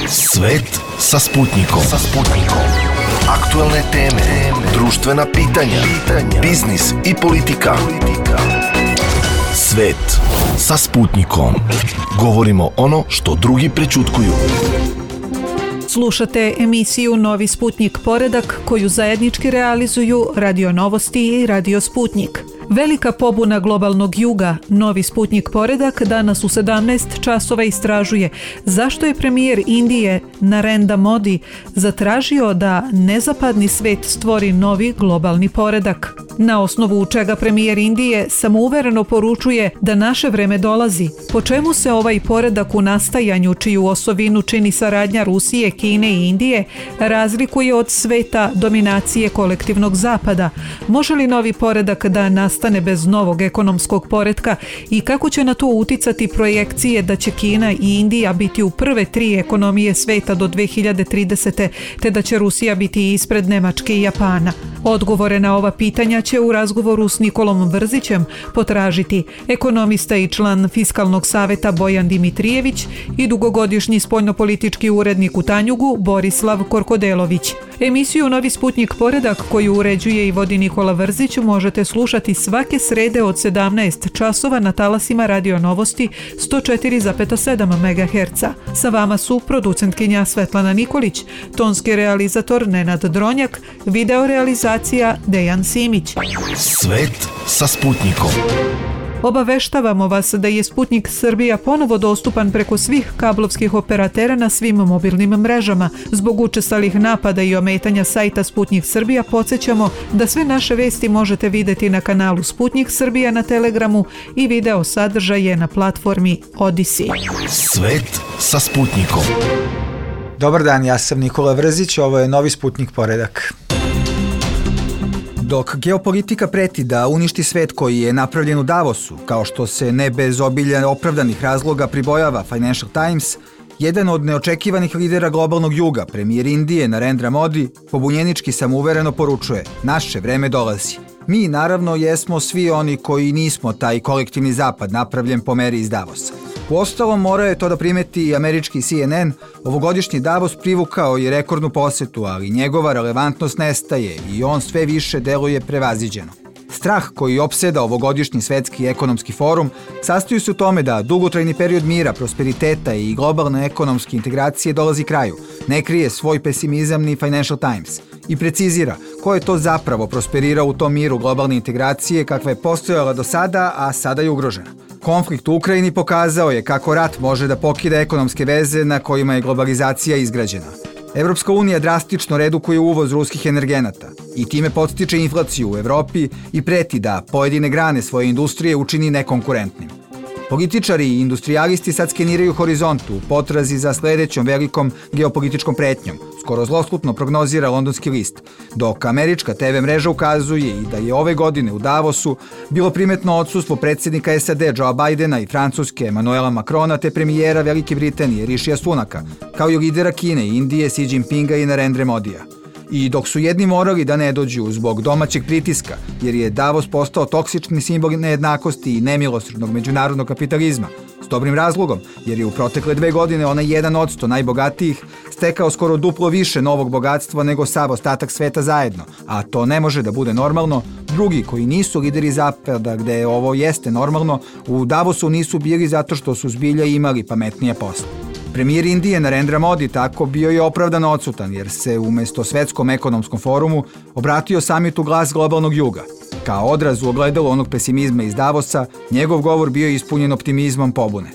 Svet sa Sputnikom. Aktuelne teme, društvena pitanja, biznis i politika. Svet sa Sputnikom. Govorimo ono što drugi prećutkuju. Slušate emisiju Novi Sputnik Poredak koju zajednički realizuju Radio Novosti i Radio Sputnik. Velika pobuna globalnog juga, Novi Sputnik Poredak danas u 17 časova istražuje zašto je premijer Indije Narendra Modi zatražio da nezapadni svet stvori novi globalni poredak. Na osnovu čega premijer Indije samouvereno poručuje da naše vreme dolazi. Po čemu se ovaj poredak u nastajanju, čiju osovinu čini saradnja Rusije, Kine i Indije, razlikuje od sveta dominacije kolektivnog zapada? Može li novi poredak da nastane bez novog ekonomskog poretka i kako će na to uticati projekcije da će Kina i Indija biti u prve 3 ekonomije sveta do 2030. te da će Rusija biti ispred Nemačke i Japana? Odgovore na ova pitanja će u razgovoru s Nikolom Vrzićem potražiti ekonomista i član Fiskalnog saveta Bojan Dimitrijević i dugogodišnji spoljnopolitički urednik u Tanjugu Borislav Korkodelović. Emisiju Novi Sputnik Poredak koju uređuje i vodi Nikola Vrzić možete slušati svake srede od 17 časova na talasima Radio Novosti 104,7 MHz. Sa vama su producentkinja Svetlana Nikolić, tonski realizator Nenad Dronjak, video realizacija Dejan Simić. Svet sa Sputnikom. Obaveštavamo vas da je Sputnik Srbija ponovo dostupan preko svih kablovskih operatera na svim mobilnim mrežama. Zbog učestalih napada i ometanja sajta Sputnik Srbija podsjećamo da sve naše vesti možete vidjeti na kanalu Sputnik Srbija na Telegramu i video sadržaje na platformi Odisi. Svet sa Sputnikom. Dobar dan, ja sam Nikola Vrzić, ovo je Novi Sputnik Poredak. Dok geopolitika preti da uništi svet koji je napravljen u Davosu, kao što se ne bez obilja opravdanih razloga pribojava Financial Times, jedan od neočekivanih lidera globalnog juga, premijer Indije Narendra Modi, pobunjenički samouvereno poručuje: naše vreme dolazi. Mi, naravno, jesmo svi oni koji nismo taj kolektivni zapad napravljen po meri iz Davosa. Uostalom, morao je to da primeti i američki CNN, ovogodišnji Davos privukao je rekordnu posetu, ali njegova relevantnost nestaje i on sve više deluje prevaziđeno. Strah koji opseda ovogodišnji svetski ekonomski forum sastoji se u tome da dugotrajni period mira, prosperiteta i globalne ekonomske integracije dolazi kraju. Ne krije svoj pesimizam ni Financial Times i precizira ko je to zapravo prosperirao u tom miru globalne integracije kakva je postojala do sada, a sada je ugrožena. Konflikt u Ukrajini pokazao je kako rat može da pokida ekonomske veze na kojima je globalizacija izgrađena. Evropska unija drastično redukuje uvoz ruskih energenata i time podstiče inflaciju u Evropi i preti da pojedine grane svoje industrije učini nekonkurentnim. Političari i industrijalisti sad skeniraju horizontu u potrazi za sledećom velikom geopolitičkom pretnjom, skoro zloslutno prognozira londonski list, dok američka TV mreža ukazuje i da je ove godine u Davosu bilo primetno odsustvo predsjednika SAD Joea Bidena i Francuske Emmanuela Macrona te premijera Velike Britanije Rishija Sunaka, kao i lidera Kine i Indije Xi Jinpinga i Narendra Modija. I dok su jedni morali da ne dođu zbog domaćeg pritiska, jer je Davos postao toksični simbol nejednakosti i nemilosrdnog međunarodnog kapitalizma, s dobrim razlogom, jer je u protekle 2 godine onaj 1% najbogatijih stekao skoro duplo više novog bogatstva nego sav ostatak sveta zajedno, a to ne može da bude normalno. Drugi koji nisu lideri zapada gde ovo jeste normalno, u Davosu nisu bili zato što su zbilja imali pametnije posle. Premijer Indije Narendra Modi tako bio je opravdano odsutan jer se umesto svetskom ekonomskom forumu obratio samitu Glas globalnog juga. Kao odraz u ogledalu onog pesimizma iz Davosa, njegov govor bio je ispunjen optimizmom pobune.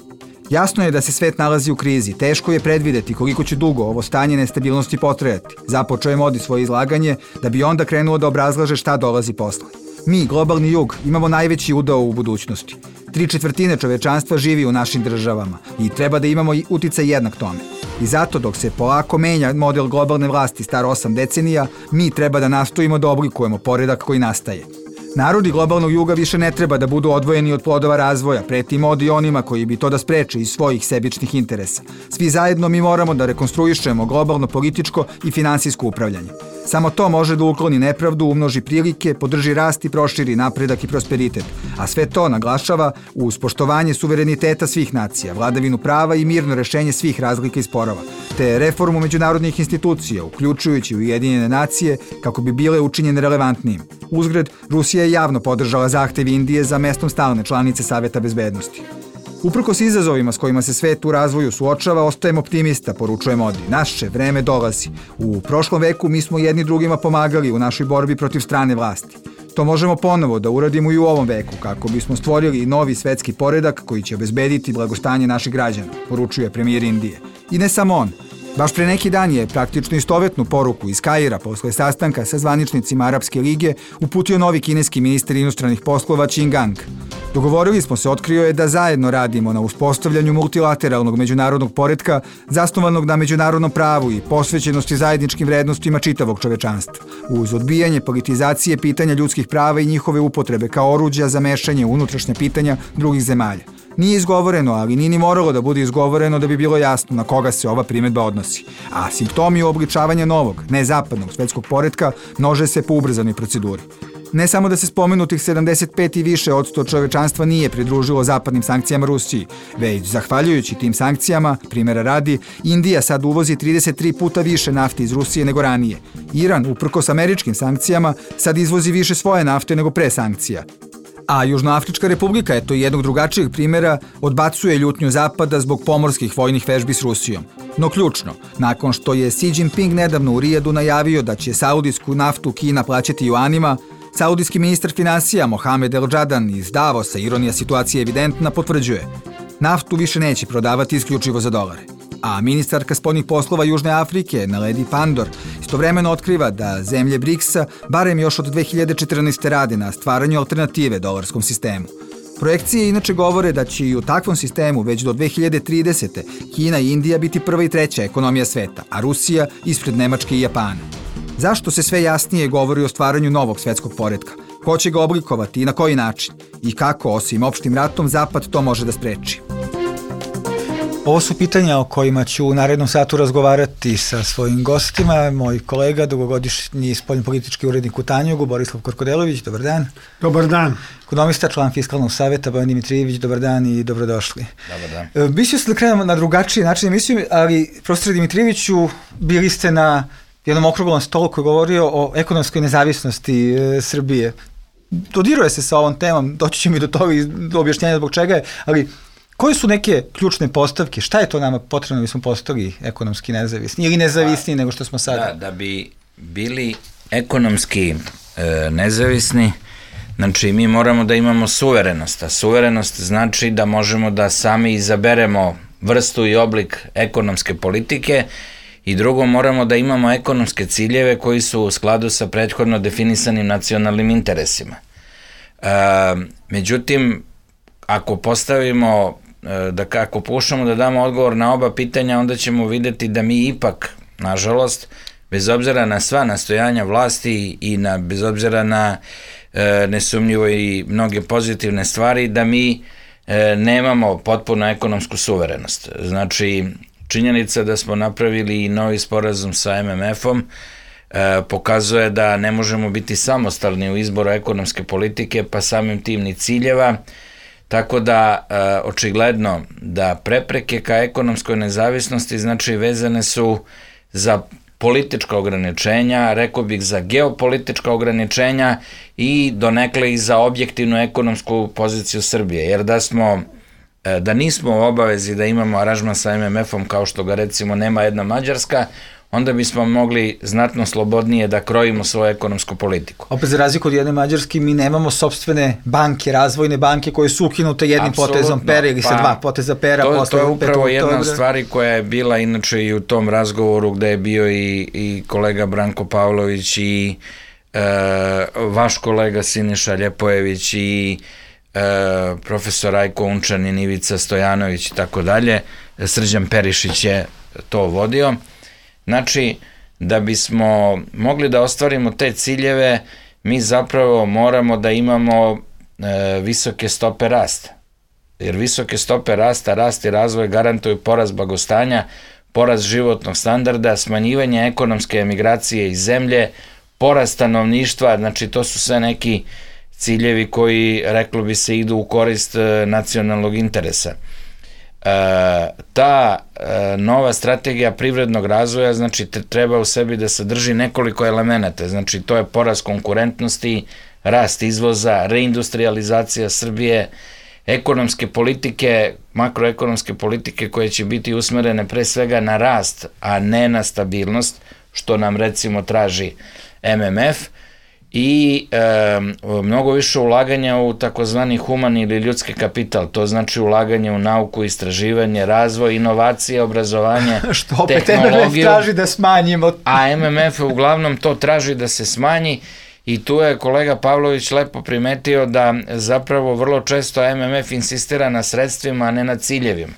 Jasno je da se svet nalazi u krizi, teško je predvideti koliko će dugo ovo stanje nestabilnosti potrajati. Započeo je Modi svoje izlaganje da bi onda krenuo da obrazlaže šta dolazi posle. Mi, globalni jug, imamo najveći udeo u budućnosti. 3/4 čovečanstva živi u našim državama i treba da imamo i uticaj jednak tome. I zato dok se polako menja model globalne vlasti star 8 decenija, mi treba da nastojimo da oblikujemo poredak koji nastaje. Narodi globalnog juga više ne treba da budu odvojeni od plodova razvoja, preti Modi onima koji bi to da spreče iz svojih sebičnih interesa. Svi zajedno mi moramo da rekonstruišemo globalno političko i finansijsko upravljanje. Samo to može da ukloni nepravdu, umnoži prilike, podrži rast i proširi napredak i prosperitet. A sve to naglašava uz poštovanje suvereniteta svih nacija, vladavinu prava i mirno rešenje svih razlika i sporova. te reformu međunarodnih institucija, uključujući Ujedinjene nacije, kako bi bile učinjene relevantnijim. Uzgred, Rusija je javno podržala zahtev Indije za mestom stalne članice Saveta bezbednosti. Uprkos izazovima s kojima se svet u razvoju suočava, ostajem optimista, poručuje Modi. Naše vreme dolazi. U prošlom veku mi smo jedni drugima pomagali u našoj borbi protiv strane vlasti. To možemo ponovo da uradimo i u ovom veku, kako bismo stvorili novi svetski poredak koji će obezbediti blagostanje naših građana, poručuje premijer Indije. I ne samo on. Baš pre neki dan je praktično istovetnu poruku iz Kaira posle sastanka sa zvaničnicima Arapske lige uputio novi kineski ministar inostranih poslova Qin Gang. Dogovorili smo se, otkrio je, da zajedno radimo na uspostavljanju multilateralnog međunarodnog poretka zasnovanog na međunarodnom pravu i posvećenosti zajedničkim vrednostima čitavog čovečanstva, uz odbijanje politizacije pitanja ljudskih prava i njihove upotrebe kao oruđa za mešanje u unutrašnja pitanja drugih zemalja. Nije izgovoreno, ali nije ni moralo da bude izgovoreno da bi bilo jasno na koga se ova primedba odnosi. A simptomi uobličavanja novog, nezapadnog svetskog poretka množe se po ubrzanoj proceduri. Ne samo da se spomenutih 75 i više odsto čovečanstva nije pridružilo zapadnim sankcijama Rusiji, već, zahvaljujući tim sankcijama, primjera radi, Indija sad uvozi 33 puta više nafte iz Rusije nego ranije. Iran, uprkos američkim sankcijama, sad izvozi više svoje nafte nego pre sankcija. A Južnoafrička republika, eto jednog drugačijeg primjera, odbacuje ljutnju Zapada zbog pomorskih vojnih vežbi s Rusijom. No ključno, nakon što je Xi Jinping nedavno u Rijadu najavio da će saudijsku naftu Kina plaćati juanima, saudijski ministar finansija Mohamed El Džadan iz Davosa, ironija situacije evidentna, potvrđuje: naftu više neće prodavati isključivo za dolare. A ministarka spoljnih poslova Južne Afrike, Naledi Pandor, istovremeno otkriva da zemlje BRICS-a barem još od 2014. rade na stvaranju alternative dolarskom sistemu. Projekcije inače govore da će i u takvom sistemu već do 2030. Kina i Indija biti prva i treća ekonomija sveta, a Rusija ispred Nemačke i Japana. Zašto se sve jasnije govori o stvaranju novog svetskog poretka? Ko će ga oblikovati i na koji način? I kako, osim opštim ratom, Zapad to može da spreči? Ovo su pitanja o kojima ću u narednom satu razgovarati sa svojim gostima. Moj kolega, dugogodišnji spoljnopolitički urednik u Tanjugu, Borislav Korkodelović, dobar dan. Dobar dan. Ekonomista, član Fiskalnog saveta, Bojan Dimitrijević, dobar dan i dobrodošli. Dobar dan. Mislio sam da krenemo na drugačiji način emisiju, ali profesor Dimitrijeviću, bili ste na jednom okruglom stolu koji je govorio o ekonomskoj nezavisnosti Srbije. Dodiruje se sa ovom temom, doći ćemo i do toga i do objašnjenja zbog čega je, ali koje su neke ključne postavke? Šta je to nama potrebno da bismo postali ekonomski nezavisni ili nezavisniji nego što smo sada? Da bi bili ekonomski nezavisni, znači mi moramo da imamo suverenost, a suverenost znači da možemo da sami izaberemo vrstu i oblik ekonomske politike i drugo, moramo da imamo ekonomske ciljeve koji su u skladu sa prethodno definisanim nacionalnim interesima. Međutim, ako postavimo, ako pokušamo da damo odgovor na oba pitanja, onda ćemo videti da mi ipak, nažalost, bez obzira na sva nastojanja vlasti i bez obzira na nesumnjivo i mnoge pozitivne stvari, da mi nemamo potpuno ekonomsku suverenost. Znači, činjenica da smo napravili i novi sporazum sa MMF-om pokazuje da ne možemo biti samostalni u izboru ekonomske politike, pa samim tim ni ciljeva, tako da očigledno da prepreke ka ekonomskoj nezavisnosti znači vezane su za politička ograničenja, rekao bih za geopolitička ograničenja i donekle i za objektivnu ekonomsku poziciju Srbije, jer da nismo u obavezi da imamo aranžman sa MMF-om kao što ga recimo nema jedna Mađarska, onda bismo mogli znatno slobodnije da krojimo svoju ekonomsku politiku. Opet za razliku od jedne Mađarske, mi nemamo sopstvene banke, razvojne banke koje su ukinute jednim potezom pera ili sa dva poteza pera. To je upravo jedna od stvari koja je bila inače i u tom razgovoru gde je bio i kolega Branko Pavlović i vaš kolega Siniša Ljepojević i profesor Rajko Unčanin, Ivica Stojanović i tako dalje. Srđan Perišić je to vodio. Znači, da bismo mogli da ostvarimo te ciljeve, mi zapravo moramo da imamo visoke stope rasta. Jer visoke stope rasta, rast i razvoj garantuju porast blagostanja, porast životnog standarda, smanjivanje ekonomske emigracije iz zemlje, porast stanovništva, znači to su sve neki ciljevi koji, reklo bi se, idu u korist nacionalnog interesa. ta nova strategija privrednog razvoja, znači treba u sebi da sadrži nekoliko elemenata, znači to je porast konkurentnosti, rast izvoza, reindustrializacija Srbije, ekonomske politike, makroekonomske politike koje će biti usmerene pre svega na rast, a ne na stabilnost, što nam recimo traži MMF, i mnogo više ulaganja u takozvani humani ili ljudski kapital, to znači ulaganje u nauku, istraživanje, razvoj, inovacije, obrazovanje, što opet MMF traži da smanjimo. A MMF uglavnom to traži da se smanji i tu je kolega Pavlović lepo primetio da zapravo vrlo često MMF insistira na sredstvima, a ne na ciljevima,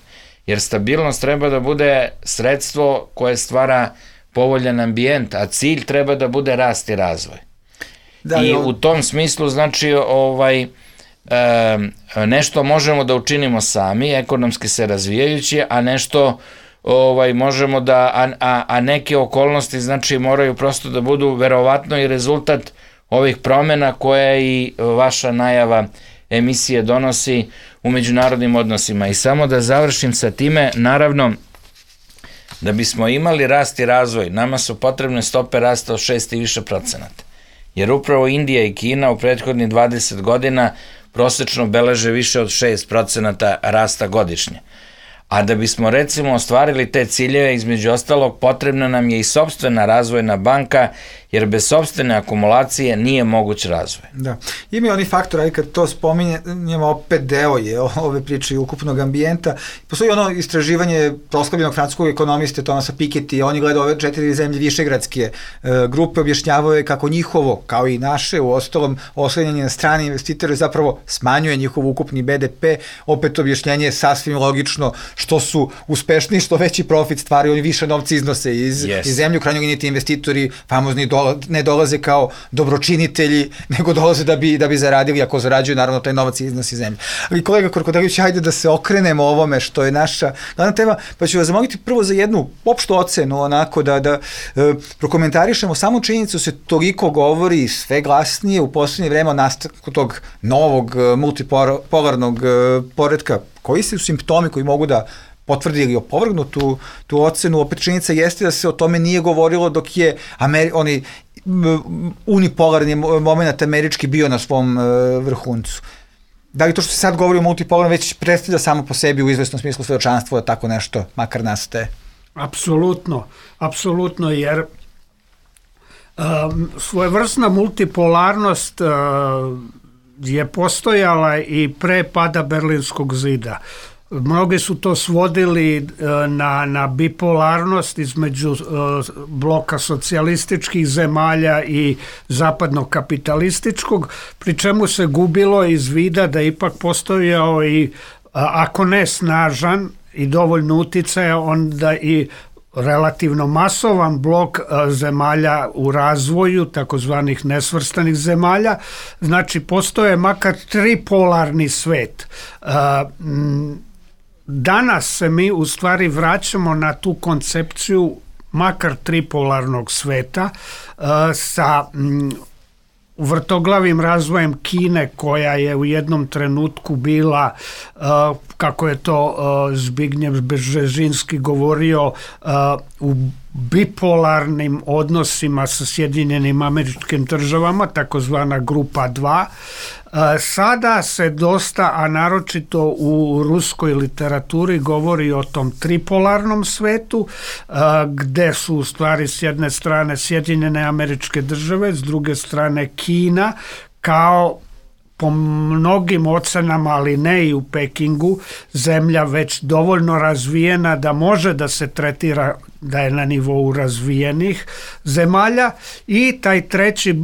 jer stabilnost treba da bude sredstvo koje stvara povoljan ambijent, a cilj treba da bude rast i razvoj. I u tom smislu, znači, nešto možemo da učinimo sami, ekonomski se razvijajući, a nešto možemo da, a neke okolnosti, znači, moraju prosto da budu verovatno i rezultat ovih promena koje i vaša najava emisije donosi u međunarodnim odnosima. I samo da završim sa time, naravno, da bismo imali rast i razvoj, nama su potrebne stope rasta od 6 i više procenata. Jer upravo Indija i Kina u prethodnih 20 godina prosečno beleže više od 6% rasta godišnje. A da bismo recimo ostvarili te ciljeve, između ostalog, potrebna nam je i sopstvena razvojna banka, jer bez sopstvene akumulacije nije moguć razvoj. Da. Ima i oni faktor, ali kad to spominjemo, opet deo je ove priče i ukupnog ambijenta. Postoji ono istraživanje proslavljenog francuskog ekonomiste Thomasa Piketty, on je gledao ove 4 zemlje višegradske grupe, objašnjavao je kako njihovo, kao i naše, u ostalom oslanjanje na strane investitore zapravo smanjuje njihov ukupni BDP, opet objašnjenje je sasvim logično, što su uspešniji, što veći profit stvaraju, oni više novca iznose iz zemlje, u krajnjoj liniji ti investitori famozni ne dolaze kao dobročinitelji, nego dolaze da bi zaradili, ako zarađuju, naravno taj novac iznosi iz zemlje. Ali kolega Korkodelić, hajde da se okrenemo ovome što je naša glavna tema, pa ću vas zamoliti prvo za jednu opštu ocenu, onako da prokomentarišemo samu činjenicu, se toliko govori sve glasnije u poslednje vreme o nastanku tog novog multipolarnog poretka. Koji su simptomi koji mogu da potvrdi ili opovrgnu tu ocenu? Opet činjenica jeste da se o tome nije govorilo dok je onaj unipolarni moment američki bio na svom vrhuncu. Da li to što se sad govori o multipolarnom već predstavlja samo po sebi u izvesnom smislu svedočanstvo da tako nešto makar nastaje? Apsolutno, jer svojevrsna multipolarnost je postojala i pre pada Berlinskog zida. Mnogi su to svodili na bipolarnost između bloka socijalističkih zemalja i zapadnog kapitalističkog, pri čemu se gubilo iz vida da ipak postojao i, ako ne snažan i dovoljno uticaja, onda i relativno masovan blok zemalja u razvoju, takozvanih nesvrstanih zemalja. Znači, postoje makar tripolarni svet. Danas se mi u stvari vraćamo na tu koncepciju makar tripolarnog sveta sa vrtoglavim razvojem Kine, koja je u jednom trenutku bila, kako je to Zbigniew Brzezinski govorio, u bipolarnim odnosima sa Sjedinjenim Američkim Državama, takozvana grupa 2. Sada se dosta, a naročito u ruskoj literaturi, govori o tom tripolarnom svetu, gde su u stvari s jedne strane Sjedinjene Američke Države, s druge strane Kina, kao po mnogim ocenama, ali ne i u Pekingu, zemlja već dovoljno razvijena da može da se tretira da je na nivou razvijenih zemalja, i taj treći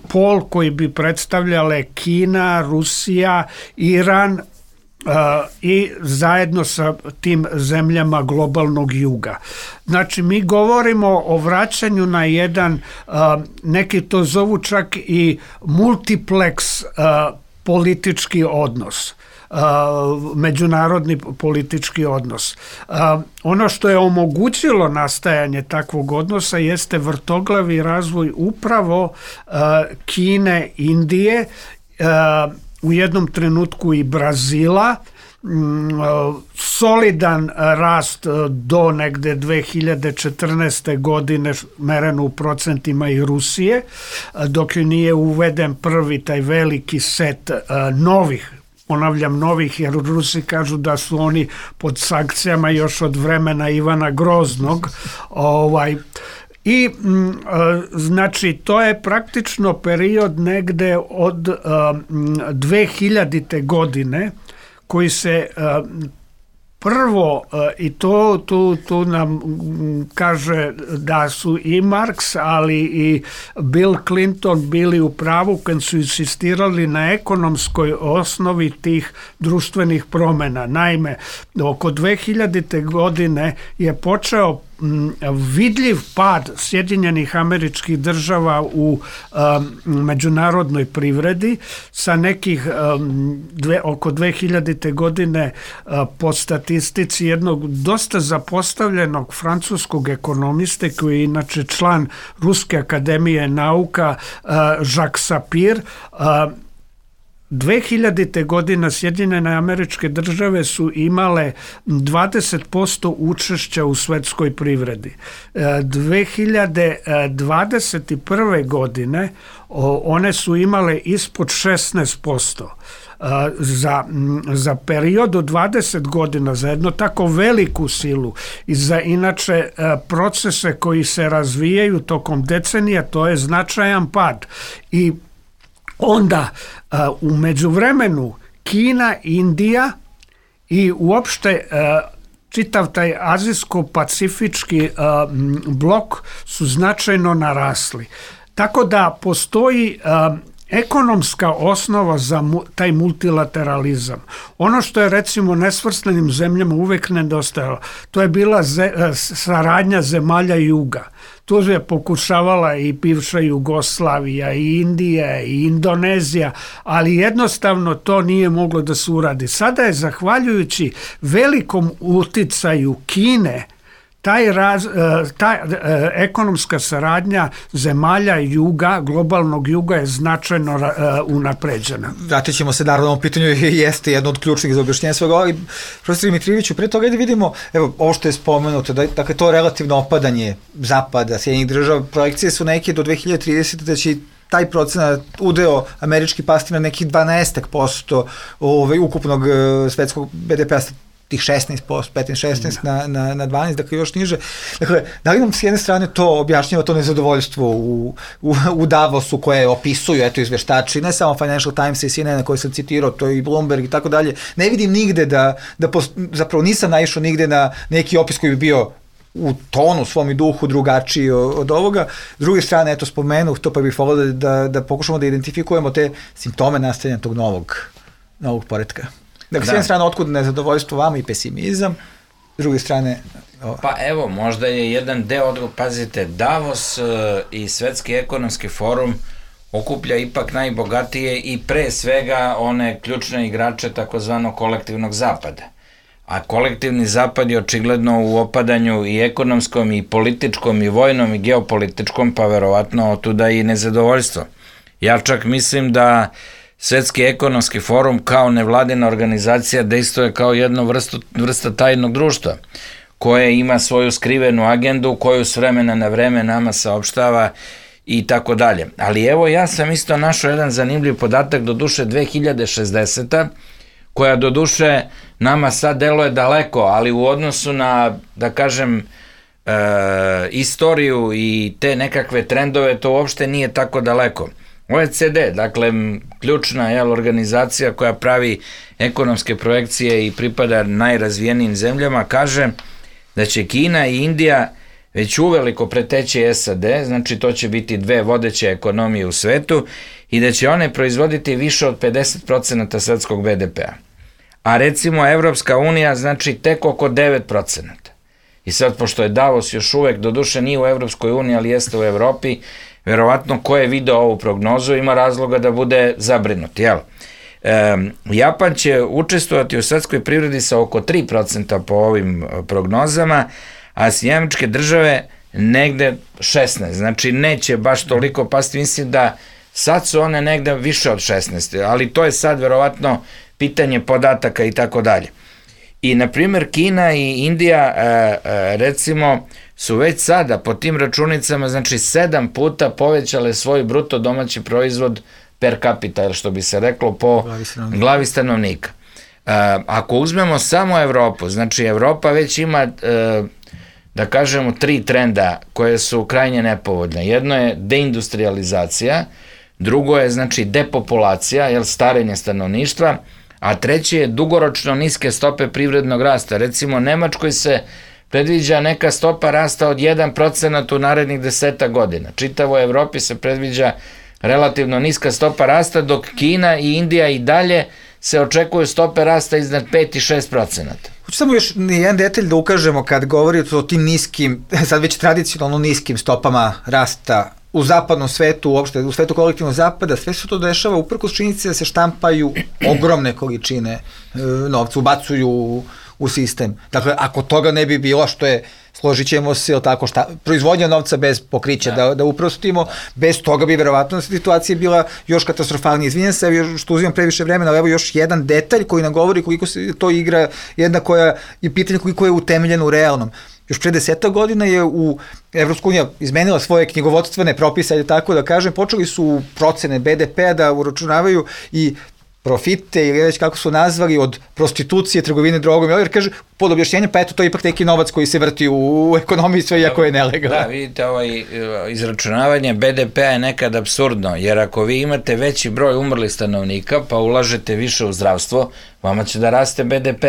pol koji bi predstavljale Kina, Rusija, Iran i zajedno sa tim zemljama globalnog juga. Znači, mi govorimo o vraćanju na jedan, neki to zovu čak i multiplex politički odnos, međunarodni politički odnos. Ono što je omogućilo nastajanje takvog odnosa jeste vrtoglavi razvoj upravo Kine, Indije, u jednom trenutku i Brazila, solidan rast do negde 2014. godine mereno u procentima i Rusije, dok nije uveden prvi taj veliki set novih, ponavljam novih, jer Rusi kažu da su oni pod sankcijama još od vremena Ivana Groznog. I znači to je praktično period negde od 2000. godine koji se prvo, i tu nam kaže da su i Marks, ali i Bill Clinton bili u pravu kad su insistirali na ekonomskoj osnovi tih društvenih promjena. Naime, oko 2000. godine je počeo vidljiv pad Sjedinjenih Američkih Država u međunarodnoj privredi sa nekih oko 2000. godine po statistici jednog dosta zapostavljenog francuskog ekonomiste koji je inače član Ruske akademije nauka Jacques Sapir. 2000. godina Sjedinjene Američke Države su imale 20% učešća u svetskoj privredi. 2021. godine one su imale ispod 16%. Za period od 20 godina, za jednu tako veliku silu i za inače procese koji se razvijaju tokom decenija, to je značajan pad. I onda u međuvremenu Kina, Indija i uopšte čitav taj azijsko-pacifički blok su značajno narasli. Tako da postoji ekonomska osnova za taj multilateralizam. Ono što je recimo nesvrstanim zemljama uvek nedostajalo, to je bila saradnja zemalja juga. Tu je pokušavala i bivša Jugoslavija, i Indija, i Indonezija, ali jednostavno to nije moglo da se uradi. Sada je, zahvaljujući velikom uticaju Kine, ta ekonomska saradnja zemalja juga, globalnog juga je značajno unapređena. Vratit ćemo se naravno ovom pitanju, jeste jedno od ključnih za objašnjenje svega, ali profesor Dimitrijeviću, pre toga da vidimo, evo, ovo što je spomenuto, dakle to relativno opadanje Zapada, Sjedinjenih Država, projekcije su neke do 2030. da će taj procenat udeo američki pasti na nekih 12% ukupnog svetskog BDP-a, tih 16%, 15-16 na 12, dakle još niže. Dakle, da li nam s jedne strane to objašnjava to nezadovoljstvo u Davosu koje opisuju, eto, izveštači, ne samo Financial Times i CNN koje sam citirao, to i Bloomberg i tako dalje. Ne vidim nigde zapravo nisam naišao nigde na neki opis koji bi bio u tonu, svom i duhu drugačiji od ovoga. S druge strane, eto, spomenuh to, pa bih volio da pokušamo da identifikujemo te simptome nastajanja tog novog poretka. Dakle, s jedne strane, otkud nezadovoljstvo vama i pesimizam, s druge strane... Pa evo, možda je jedan deo, pazite, Davos i Svetski ekonomski forum okuplja ipak najbogatije i pre svega one ključne igrače takozvano kolektivnog zapada. A kolektivni zapad je očigledno u opadanju i ekonomskom, i političkom, i vojnom, i geopolitičkom, pa verovatno otuda i nezadovoljstvo. Ja čak mislim da Svetski ekonomski forum kao nevladina organizacija dejstvuje kao jednu vrsta tajnog društva koje ima svoju skrivenu agendu koju s vremena na vreme nama saopštava i tako dalje. Ali evo, ja sam isto našao jedan zanimljiv podatak, doduše 2060. koja doduše nama sad deluje daleko, ali u odnosu na, da kažem, istoriju i te nekakve trendove, to uopšte nije tako daleko. OECD, dakle, ključna organizacija koja pravi ekonomske projekcije i pripada najrazvijenijim zemljama, kaže da će Kina i Indija već uveliko preteći SAD, znači to će biti dve vodeće ekonomije u svetu i da će one proizvoditi više od 50% svetskog BDP-a. A recimo Evropska unija znači tek oko 9%. I sad, pošto je Davos još uvek, doduše nije u Evropskoj uniji, ali jeste u Evropi, verovatno ko je video ovu prognozu ima razloga da bude zabrinut, jel? Japan će učestvovati u svetskoj privredi sa oko 3% po ovim prognozama, a Sjedinjene Države negde 16%, znači neće baš toliko pasti, mislim da sad su one negde više od 16%, ali to je sad verovatno pitanje podataka i tako dalje. I, na primjer, Kina i Indija, recimo, su već sada po tim računicama, znači 7 puta povećale svoj bruto domaći proizvod per capita, ili što bi se reklo, po glavi stanovnika. Ako uzmemo samo Evropu, znači Evropa već ima, da kažemo, 3 trenda koje su krajnje nepovoljne. Jedno je deindustrializacija, drugo je, znači, depopulacija, jer starenje stanovništva, a treće je dugoročno niske stope privrednog rasta. Recimo, Nemačkoj se predviđa neka stopa rasta od 1% u narednih 10 godina. Čitavo Evropi se predviđa relativno niska stopa rasta, dok Kina i Indija i dalje se očekuju stope rasta iznad 5 i 6%. Hoću samo još jedan detalj da ukažemo kad govorite o tim niskim, sad već tradicionalno niskim stopama rasta u zapadnom svetu, uopšte u svetu kolektivnog zapada, sve se to dešava uprkos činjenici da se štampaju ogromne količine novca, ubacuju u sistem. Dakle, ako toga ne bi bilo, što je, složit ćemo se, tako, proizvodnja novca bez pokrića, da uprostimo, bez toga bi verovatno situacija bila još katastrofalnija. Izvinjam se što uzimam previše vremena, ali evo još jedan detalj koji nam govori koliko se to igra, jedna koja je pitanje koliko je utemeljeno u realnom. Još pre 10 godina je Evropska unija izmenila svoje knjigovodstvene propise, tako da kažem, počeli su procene BDP-a da uračunavaju i profite, ili već kako su nazvali, od prostitucije, trgovine drogom, jer kaže, pod objašnjenjem, pa eto, to je ipak neki novac koji se vrti u ekonomiji, sve iako je nelegalno. Da, vidite, izračunavanje BDP-a je nekad apsurdno, jer ako vi imate veći broj umrlih stanovnika, pa ulažete više u zdravstvo, vama će da raste BDP,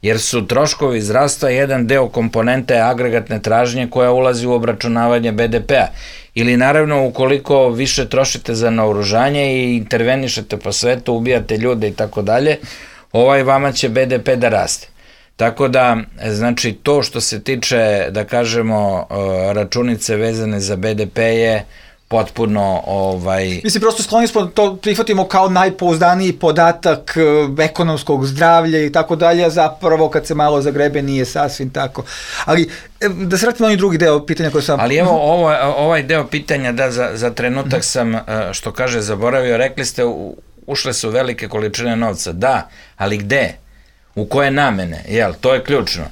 jer su troškovi zdravstva jedan deo komponente agregatne tražnje koja ulazi u obračunavanje BDP-a. Ili naravno ukoliko više trošite za naoružanje i intervenišete po svetu, ubijate ljude i tako dalje, vama će BDP da raste. Tako da, znači, to što se tiče, da kažemo, računice vezane za BDP je potpuno... Mislim, prosto skloni smo to prihvatimo kao najpouzdaniji podatak ekonomskog zdravlja i tako dalje, a zapravo kad se malo zagrebe nije sasvim tako. Ali da se vratimo na onaj drugi deo pitanja koje sam... Ali evo, ovaj deo pitanja, da, za trenutak sam, što kaže, zaboravio, rekli ste, ušle su velike količine novca. Da, ali gde? U koje namene? Jel, to je ključno.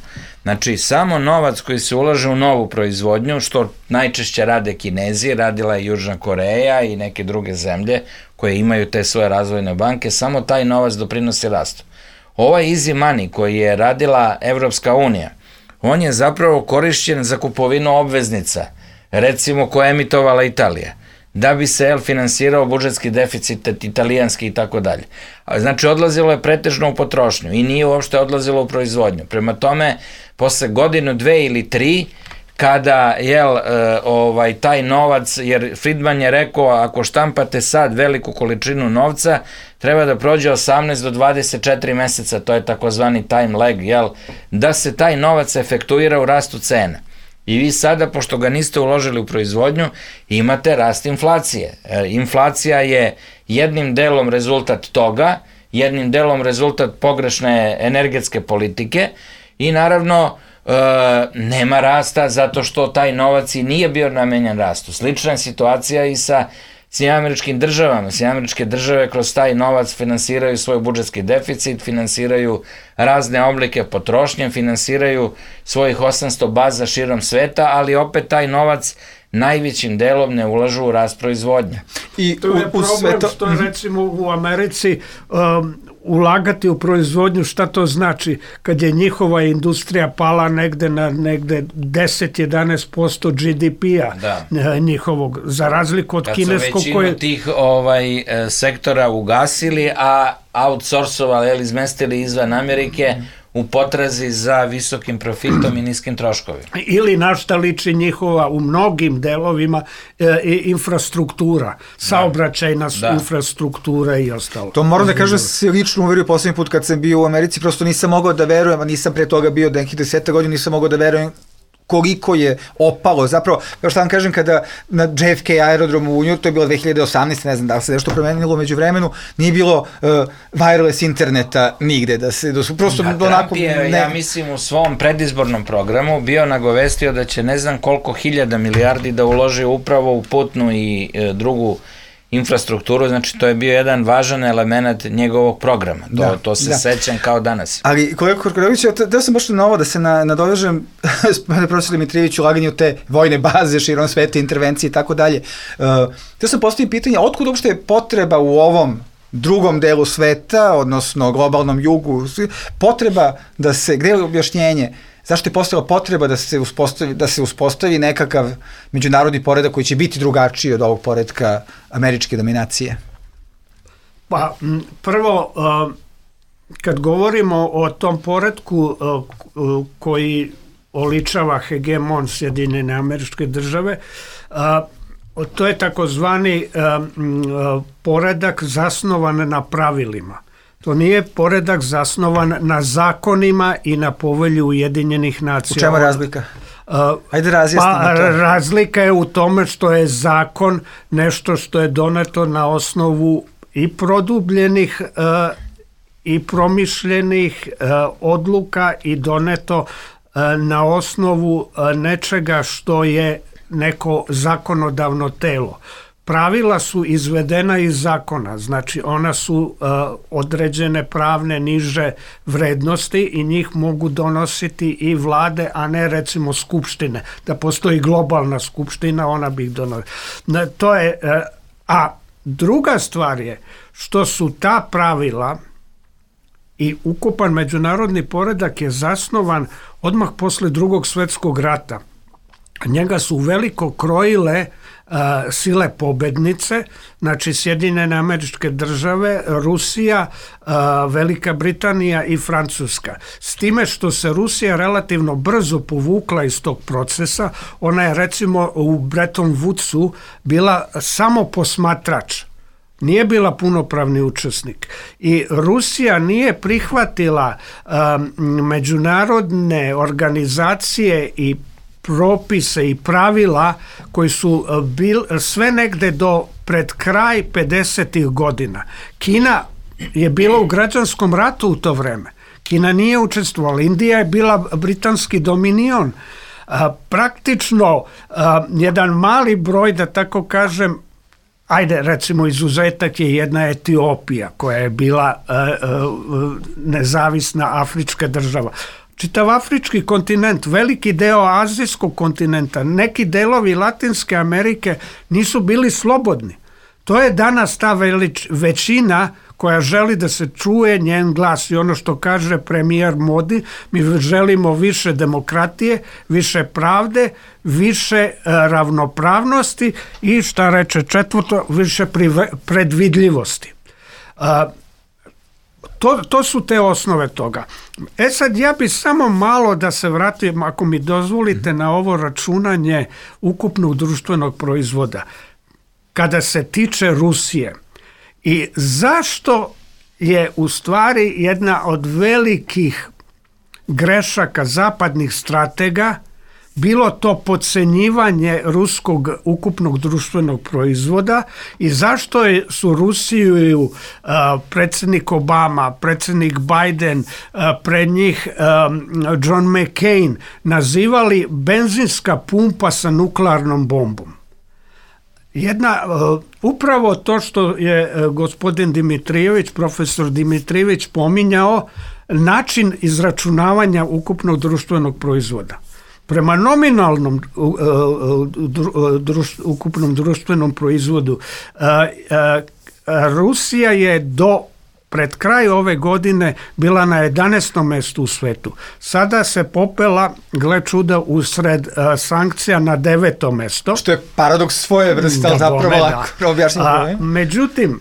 Znači, samo novac koji se ulaže u novu proizvodnju, što najčešće rade Kinezi, radila je Južna Koreja i neke druge zemlje koje imaju te svoje razvojne banke, samo taj novac doprinosi rastu. Ovaj easy money koji je radila Evropska unija, on je zapravo korišćen za kupovinu obveznica, recimo koje je emitovala Italija, da bi se finansirao budžetski deficit italijanski i tako dalje. Znači, odlazilo je pretežno u potrošnju i nije uopšte odlazilo u proizvodnju. Prema tome, posle godinu, 2 ili 3, kada taj novac, jer Friedman je rekao, ako štampate sad veliku količinu novca, treba da prođe 18 do 24 meseca, to je takozvani time lag, da se taj novac efektuira u rastu cena. I vi sada, pošto ga niste uložili u proizvodnju, imate rast inflacije. Inflacija je jednim delom rezultat toga, jednim delom rezultat pogrešne energetske politike i naravno nema rasta zato što taj novac i nije bio namenjen rastu. Slična je situacija i sa Sjedinjenim Državama. Sjedinjene Države kroz taj novac finansiraju svoj budžetski deficit, finansiraju razne oblike potrošnje, finansiraju svojih 800 baza širom sveta, ali opet taj novac najvećim delom ne ulažu u rast proizvodnje. I to je problem što je, recimo, u Americi ulagati u proizvodnju, šta to znači kad je njihova industrija pala negde na 10-11% GDP-a njihovog, za razliku od kineskog koje... Kad su većinu tih sektora ugasili, a outsourcovali, izmestili izvan Amerike u potrazi za visokim profitom i niskim troškovima. Ili na šta liči njihova u mnogim delovima infrastruktura, saobraćajna infrastruktura i ostalo. To moram da kažem, se lično uverio poslednji put kad sam bio u Americi, prosto nisam mogao da verujem, a nisam pre toga bio nekih 10 godina, nisam mogao da verujem koliko je opalo. Zapravo, kao što vam kažem, kada na JFK aerodromu u Njujorku, to je bilo 2018, ne znam da se nešto promenilo među vremenu, nije bilo wireless interneta nigde, da su prosto onako... Trump je, ja mislim, u svom predizbornom programu bio nagovestio da će ne znam koliko hiljada milijardi da uloži upravo u putnu i drugu infrastrukturu, znači to je bio jedan važan element njegovog programa. To se sećam kao danas. Ali kolega Korkorević, da sam baš na ovo da se nadovežem profesor Dimitrijević ulaganje u te vojne baze širom sveta, intervencije i tako dalje. Da sam postavio pitanje, otkud uopšte je potreba u ovom drugom delu sveta, odnosno globalnom jugu, potreba da se, gde je objašnjenje, zašto je postala potreba da se uspostavi nekakav međunarodni poredak koji će biti drugačiji od ovog poredka američke dominacije? Pa, prvo, kad govorimo o tom poretku koji oličava hegemon Sjedinjene Američke Države, to je takozvani poredak zasnovan na pravilima. To nije poredak zasnovan na zakonima i na povelju Ujedinjenih nacija. U čemu je razlika? Ajde razjasnimo to. Razlika je u tome što je zakon nešto što je doneto na osnovu i produbljenih i promišljenih odluka i doneto na osnovu nečega što je neko zakonodavno telo. Pravila su izvedena iz zakona, znači ona su određene pravne niže vrednosti i njih mogu donositi i vlade, a ne recimo skupštine. Da postoji globalna skupština, ona bi ih donosila. To je, a druga stvar je što su ta pravila i ukupan međunarodni poredak je zasnovan odmah posle Drugog svjetskog rata. Njega su veliko krojile sile pobednice, znači Sjedinjene Američke Države, Rusija, Velika Britanija i Francuska. S time što se Rusija relativno brzo povukla iz tog procesa, ona je recimo u Bretton Woodsu bila samo posmatrač. Nije bila punopravni učesnik i Rusija nije prihvatila međunarodne organizacije i propise i pravila koji su sve negde do pred kraj 50. godina. Kina je bila u građanskom ratu u to vreme. Kina nije učestvovala. Indija je bila britanski dominion. Praktično jedan mali broj, da tako kažem, ajde, recimo izuzetak je jedna Etiopija koja je bila nezavisna afrička država. Čitav afrički kontinent, veliki deo azijskog kontinenta, neki delovi Latinske Amerike nisu bili slobodni. To je danas ta većina koja želi da se čuje njen glas i ono što kaže premijer Modi, mi želimo više demokratije, više pravde, više ravnopravnosti i šta reče četvrto, više predvidljivosti. To su te osnove toga. Sad ja bi samo malo da se vratim, ako mi dozvolite, na ovo računanje ukupnog društvenog proizvoda. Kada se tiče Rusije i zašto je u stvari jedna od velikih grešaka zapadnih stratega bilo to podcenjivanje ruskog ukupnog društvenog proizvoda i zašto su Rusiju predsjednik Obama, predsjednik Biden, pred njih John McCain nazivali benzinska pumpa sa nuklearnom bombom. Upravo to što je gospodin Dimitrijević, profesor Dimitrijević pominjao, način izračunavanja ukupnog društvenog proizvoda. Prema nominalnom ukupnom društvenom proizvodu Rusija je pred kraj ove godine bila na 11. mjestu u svetu. Sada se popela, gle čuda, usred sankcija na 9. mjesto. Što je paradoks svoje vrste, ali zapravo lako objašnjeno. Međutim,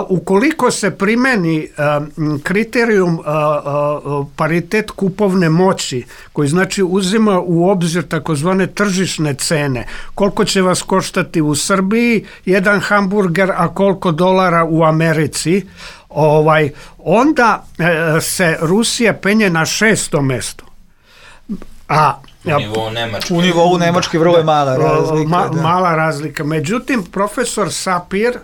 ukoliko se primeni kriterijum paritet kupovne moći, koji znači uzima u obzir takozvane tržišne cene, koliko će vas koštati u Srbiji jedan hamburger, a koliko $, u Americi, onda se Rusija penje na 6. mjesto. U nivou Nemačke vrlo je mala razlika. Mala razlika. Međutim, profesor Sapir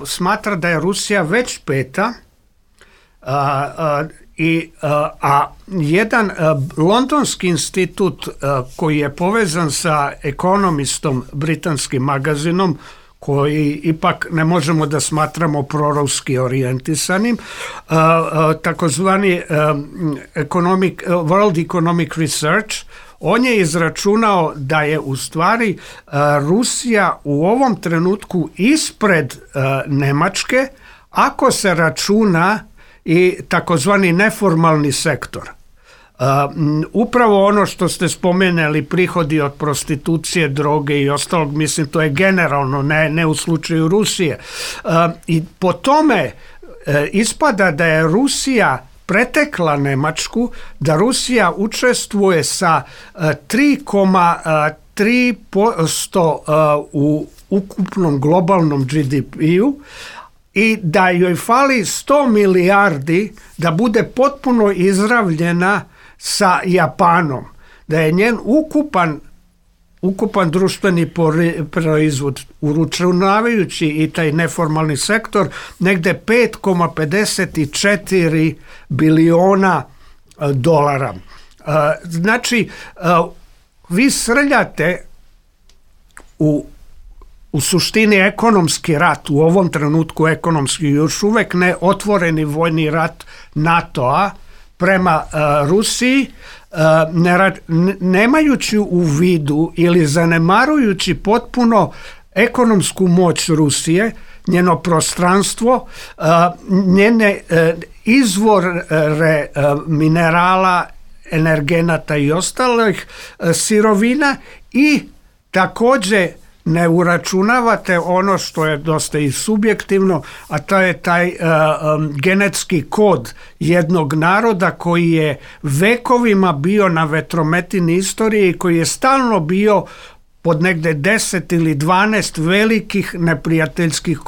smatra da je Rusija već 5. A jedan londonski institut koji je povezan sa Economistom, britanskim magazinom, koji ipak ne možemo da smatramo proruski orijentisanim, takozvani World Economic Research, on je izračunao da je u stvari Rusija u ovom trenutku ispred Nemačke ako se računa i takozvani neformalni sektor. Upravo ono što ste spomenuli, prihodi od prostitucije, droge i ostalog, mislim to je generalno, ne u slučaju Rusije. I po tome ispada da je Rusija pretekla Nemačku, da Rusija učestvuje sa 3,3% u ukupnom globalnom GDP-u i da joj fali 100 milijardi da bude potpuno izravljena sa Japanom, da je njen ukupan društveni proizvod, uračunavajući i taj neformalni sektor, negde 5,54 biliona dolara. Znači, vi srljate u suštini ekonomski rat, u ovom trenutku ekonomski, još uvek ne otvoreni vojni rat NATO-a prema Rusiji, nemajući u vidu ili zanemarujući potpuno ekonomsku moć Rusije, njeno prostranstvo, njene izvore minerala, energenata i ostalih sirovina i takođe ne uračunavate ono što je dosta i subjektivno, a to je taj genetski kod jednog naroda koji je vekovima bio na vetrometini istorije i koji je stalno bio pod negde 10 ili 12 velikih neprijateljskih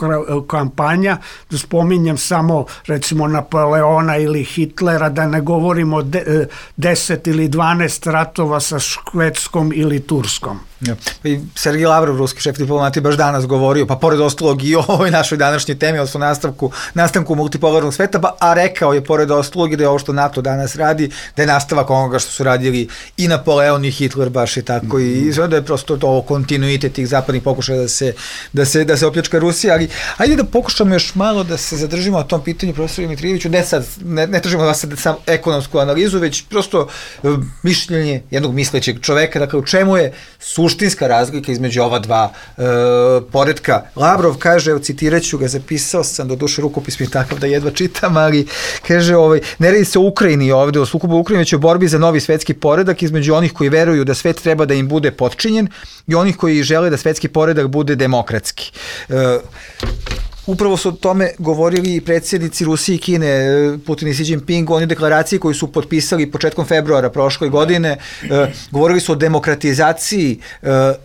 kampanja, da spominjem samo recimo Napoleona ili Hitlera, da ne govorimo 10 ili 12 ratova sa Švedskom ili Turskom. Ja. I Sergij Lavrov, ruski šef diplomatije, baš danas govorio, pa pored ostalog i o ovoj našoj današnjoj temi, odnosno nastanku multipolarnog sveta, a rekao je pored ostalog i da je ovo što NATO danas radi, da je nastavak onoga što su radili i Napoleon i Hitler, baš i tako, i da je prosto to kontinuitet tih zapadnih pokušaja da se opljačka Rusija, ali ajde da pokušamo još malo da se zadržimo na tom pitanju, profesor Dimitrijeviću, ne tražimo vas sad samo ekonomsku analizu, već prosto mišljenje jednog mislećeg čoveka, dakle u čemu je suštinska razlika između ova dva poretka. Lavrov kaže, evo citiraću ga, zapisao sam, doduše rukopis mi je takav da jedva čitam, ali kaže, ne radi se o Ukrajini ovde, o sukobu Ukrajine, već o borbi za novi svetski poredak između onih koji veruju da svet treba da im bude potčinjen i onih koji žele da svetski poredak bude demokratski. Upravo su o tome govorili i predsjednici Rusije i Kine, Putin i Xi Jinping, oni deklaraciji koju su potpisali početkom februara prošle godine, govorili su o demokratizaciji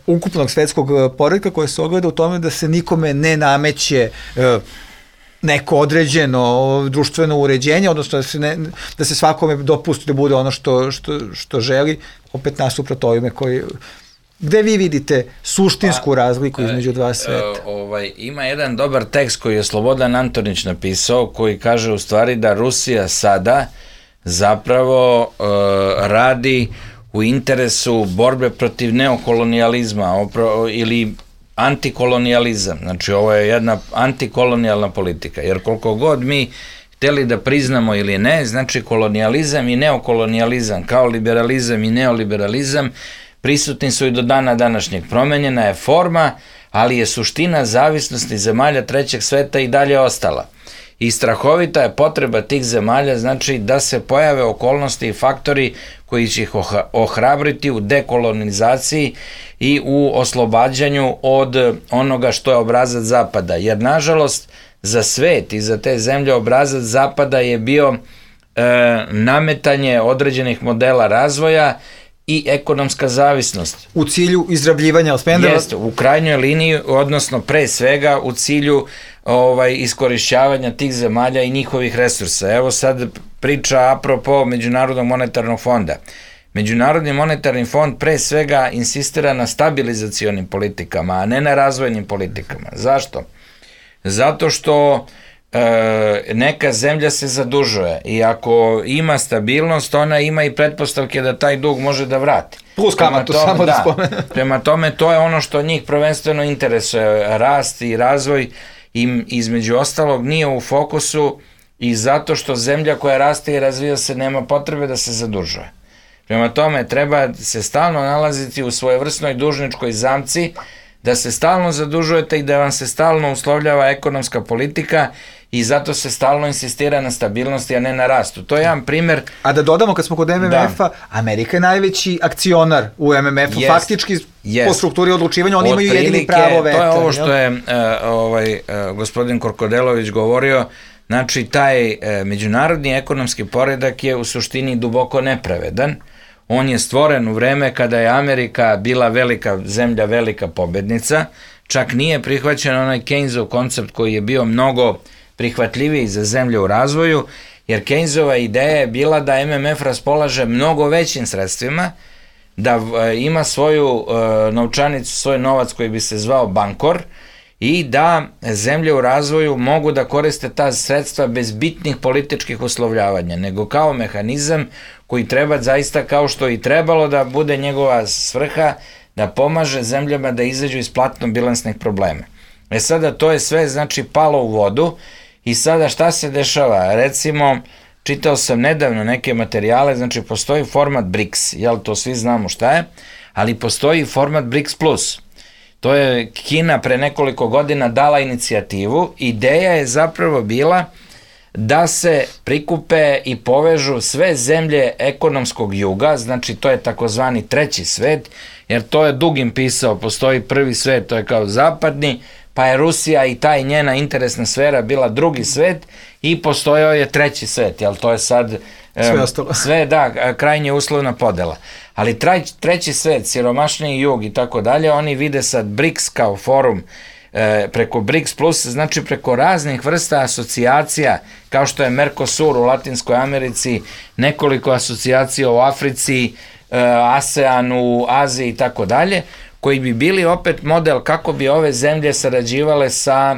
ukupnog svetskog poretka koja se ogleda u tome da se nikome ne nameće neko određeno društveno uređenje, odnosno da se svakome dopusti da bude ono što želi, opet nasuprot ovime koji... Gde vi vidite suštinsku razliku između dva sveta? Ima jedan dobar tekst koji je Slobodan Antonić napisao, koji kaže u stvari da Rusija sada zapravo radi u interesu borbe protiv neokolonijalizma ili antikolonijalizam. Znači ovo je jedna antikolonijalna politika, jer koliko god mi hteli da priznamo ili ne, znači kolonijalizam i neokolonijalizam kao liberalizam i neoliberalizam prisutni su i do dana današnjeg. Promenjena je forma, ali je suština zavisnosti zemalja trećeg sveta i dalje ostala. I strahovita je potreba tih zemalja, znači da se pojave okolnosti i faktori koji će ih ohrabriti u dekolonizaciji i u oslobađanju od onoga što je obrazac Zapada. Jer, nažalost, za svet i za te zemlje obrazac Zapada je bio nametanje određenih modela razvoja i ekonomska zavisnost. U cilju izrabljivanja Alspendera? Jeste, u krajnjoj liniji, odnosno pre svega u cilju iskorišćavanja tih zemalja i njihovih resursa. Evo sad priča apropo Međunarodnog monetarnog fonda. Međunarodni monetarni fond pre svega insistira na stabilizacionim politikama, a ne na razvojnim politikama. Zašto? Zato što neka zemlja se zadužuje i ako ima stabilnost, ona ima i pretpostavke da taj dug može da vrati. Plus kamatu, samo da spomenu. Prema tome, to je ono što njih prvenstveno interesuje, rast i razvoj im između ostalog nije u fokusu i zato što zemlja koja raste i razvija se nema potrebe da se zadužuje. Prema tome, treba se stalno nalaziti u svojevrsnoj dužničkoj zamci, da se stalno zadužujete i da vam se stalno uslovljava ekonomska politika i zato se stalno insistira na stabilnosti, a ne na rastu. To je jedan primer. A da dodamo, kad smo kod MMF-a, Amerika je najveći akcionar u MMF-u, faktički po strukturi odlučivanja, oni imaju jedini pravo veta. To je ovo što je gospodin Korkodelović govorio, znači taj međunarodni ekonomski poredak je u suštini duboko nepravedan. On je stvoren u vreme kada je Amerika bila velika zemlja, velika pobednica, čak nije prihvaćen onaj Keynesov koncept koji je bio mnogo prihvatljiviji za zemlje u razvoju, jer Keynesova ideja je bila da MMF raspolaže mnogo većim sredstvima, da ima svoju novčanicu, svoj novac koji bi se zvao bankor i da zemlje u razvoju mogu da koriste ta sredstva bez bitnih političkih uslovljavanja, nego kao mehanizam koji treba zaista, kao što i trebalo da bude njegova svrha, da pomaže zemljama da izađu iz platno-bilansnih problema. Sada to je sve znači palo u vodu i sada šta se dešava? Recimo, čitao sam nedavno neke materijale, znači postoji format BRICS, jel to svi znamo šta je, ali postoji format BRICS+. To je Kina pre nekoliko godina dala inicijativu. Ideja je zapravo bila da se prikupe i povežu sve zemlje ekonomskog juga, znači to je takozvani treći svet, jer to je Dugin pisao, postoji prvi svet, to je kao zapadni, pa je Rusija i ta njena interesna sfera bila drugi svet i postojao je treći svet, jel to je sad sve da, krajnje uslovna podela. Ali treći svet, siromašniji jug i tako dalje, oni vide sad BRICS kao forum preko BRICS plus, znači preko raznih vrsta asocijacija, kao što je Mercosur u Latinskoj Americi, nekoliko asocijacija u Africi, ASEAN u Aziji i tako dalje, koji bi bili opet model kako bi ove zemlje sarađivale sa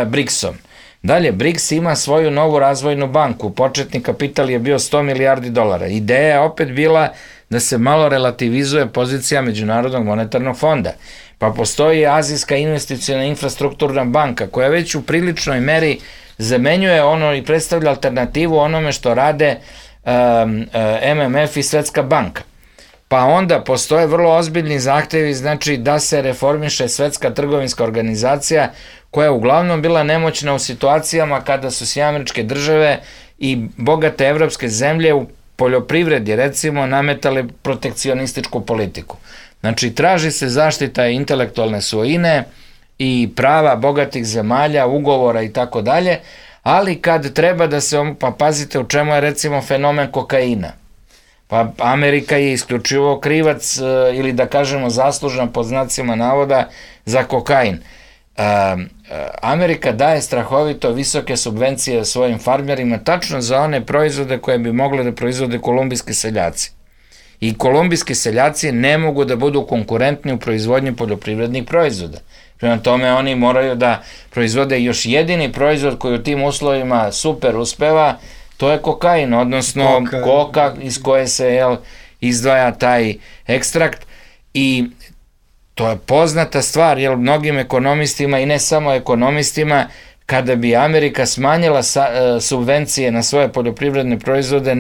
BRICS-om. Dalje, BRICS ima svoju novu razvojnu banku, početni kapital je bio $100 milijardi. Ideja je opet bila da se malo relativizuje pozicija Međunarodnog monetarnog fonda. Pa postoji Azijska investiciona infrastrukturna banka koja već u priličnoj meri zamenjuje ono i predstavlja alternativu onome što rade MMF i Svetska banka. Pa onda postoje vrlo ozbiljni zahtevi, znači da se reformiše Svetska trgovinska organizacija koja je uglavnom bila nemoćna u situacijama kada su Sjedinjene Države i bogate evropske zemlje u poljoprivredi recimo nametale protekcionističku politiku. Znači traži se zaštita intelektualne svojine i prava bogatih zemalja, ugovora i tako dalje, ali kad treba da se, pa pazite u čemu je recimo fenomen kokaina. Pa Amerika je isključivo krivac ili da kažemo zaslužna pod znacima navoda za kokain. Amerika daje strahovito visoke subvencije svojim farmerima tačno za one proizvode koje bi mogli da proizvode kolumbijski seljaci. I kolumbijski seljaci ne mogu da budu konkurentni u proizvodnji poljoprivrednih proizvoda. Prema tome oni moraju da proizvode još jedini proizvod koji u tim uslovima super uspeva, to je kokain, odnosno koka iz koje se izdvaja taj ekstrakt i to je poznata stvar, jer mnogim ekonomistima i ne samo ekonomistima, kada bi Amerika smanjila subvencije na svoje poljoprivredne proizvode,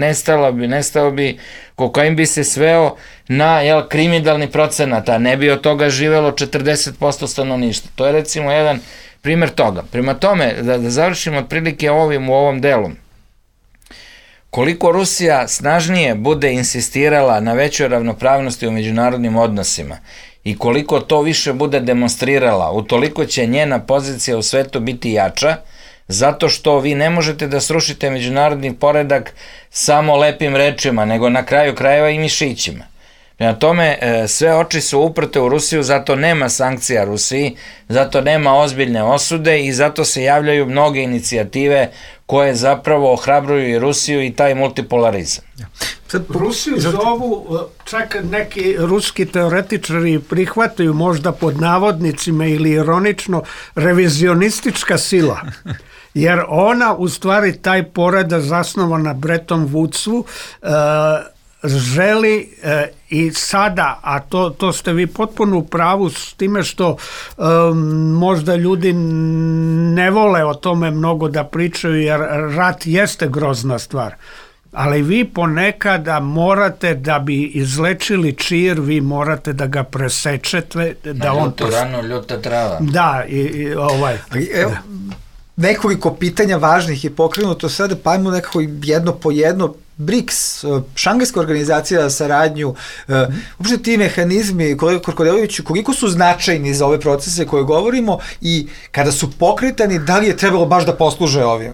nestao bi, kokain bi se sveo na kriminalni procenat, a ne bi od toga živelo 40% stanovništva. To je recimo jedan primer toga. Prema tome, da završimo otprilike u ovom delu, koliko Rusija snažnije bude insistirala na većoj ravnopravnosti u međunarodnim odnosima i koliko to više bude demonstrirala, utoliko će njena pozicija u svetu biti jača, zato što vi ne možete da srušite međunarodni poredak samo lepim rečima, nego na kraju krajeva i mišićima. Prema tome, sve oči su uprte u Rusiju, zato nema sankcija Rusiji, zato nema ozbiljne osude i zato se javljaju mnoge inicijative koje zapravo ohrabruju i Rusiju i taj multipolarizam. Rusiju zovu, čak neki ruski teoretičari prihvataju možda pod navodnicima ili ironično revizionistička sila. jer ona u stvari taj poredak zasnovan na Bretton Woodsu želi i sada, a to ste vi potpuno u pravu s time što možda ljudi ne vole o tome mnogo da pričaju, jer rat jeste grozna stvar. Ali vi ponekada morate, da bi izlečili čir, vi morate da ga presečete. Da na ljutu ranu, ljuta trava. Da, nekoliko pitanja važnih je pokrenuto sada, pa ajmo nekako jedno po jedno. BRICS, Šangajska organizacija za saradnju, uopšte ti mehanizmi, kolega Korkodeloviću, koliko su značajni za ove procese koje govorimo i kada su pokretani, da li je trebalo baš da posluže ovim?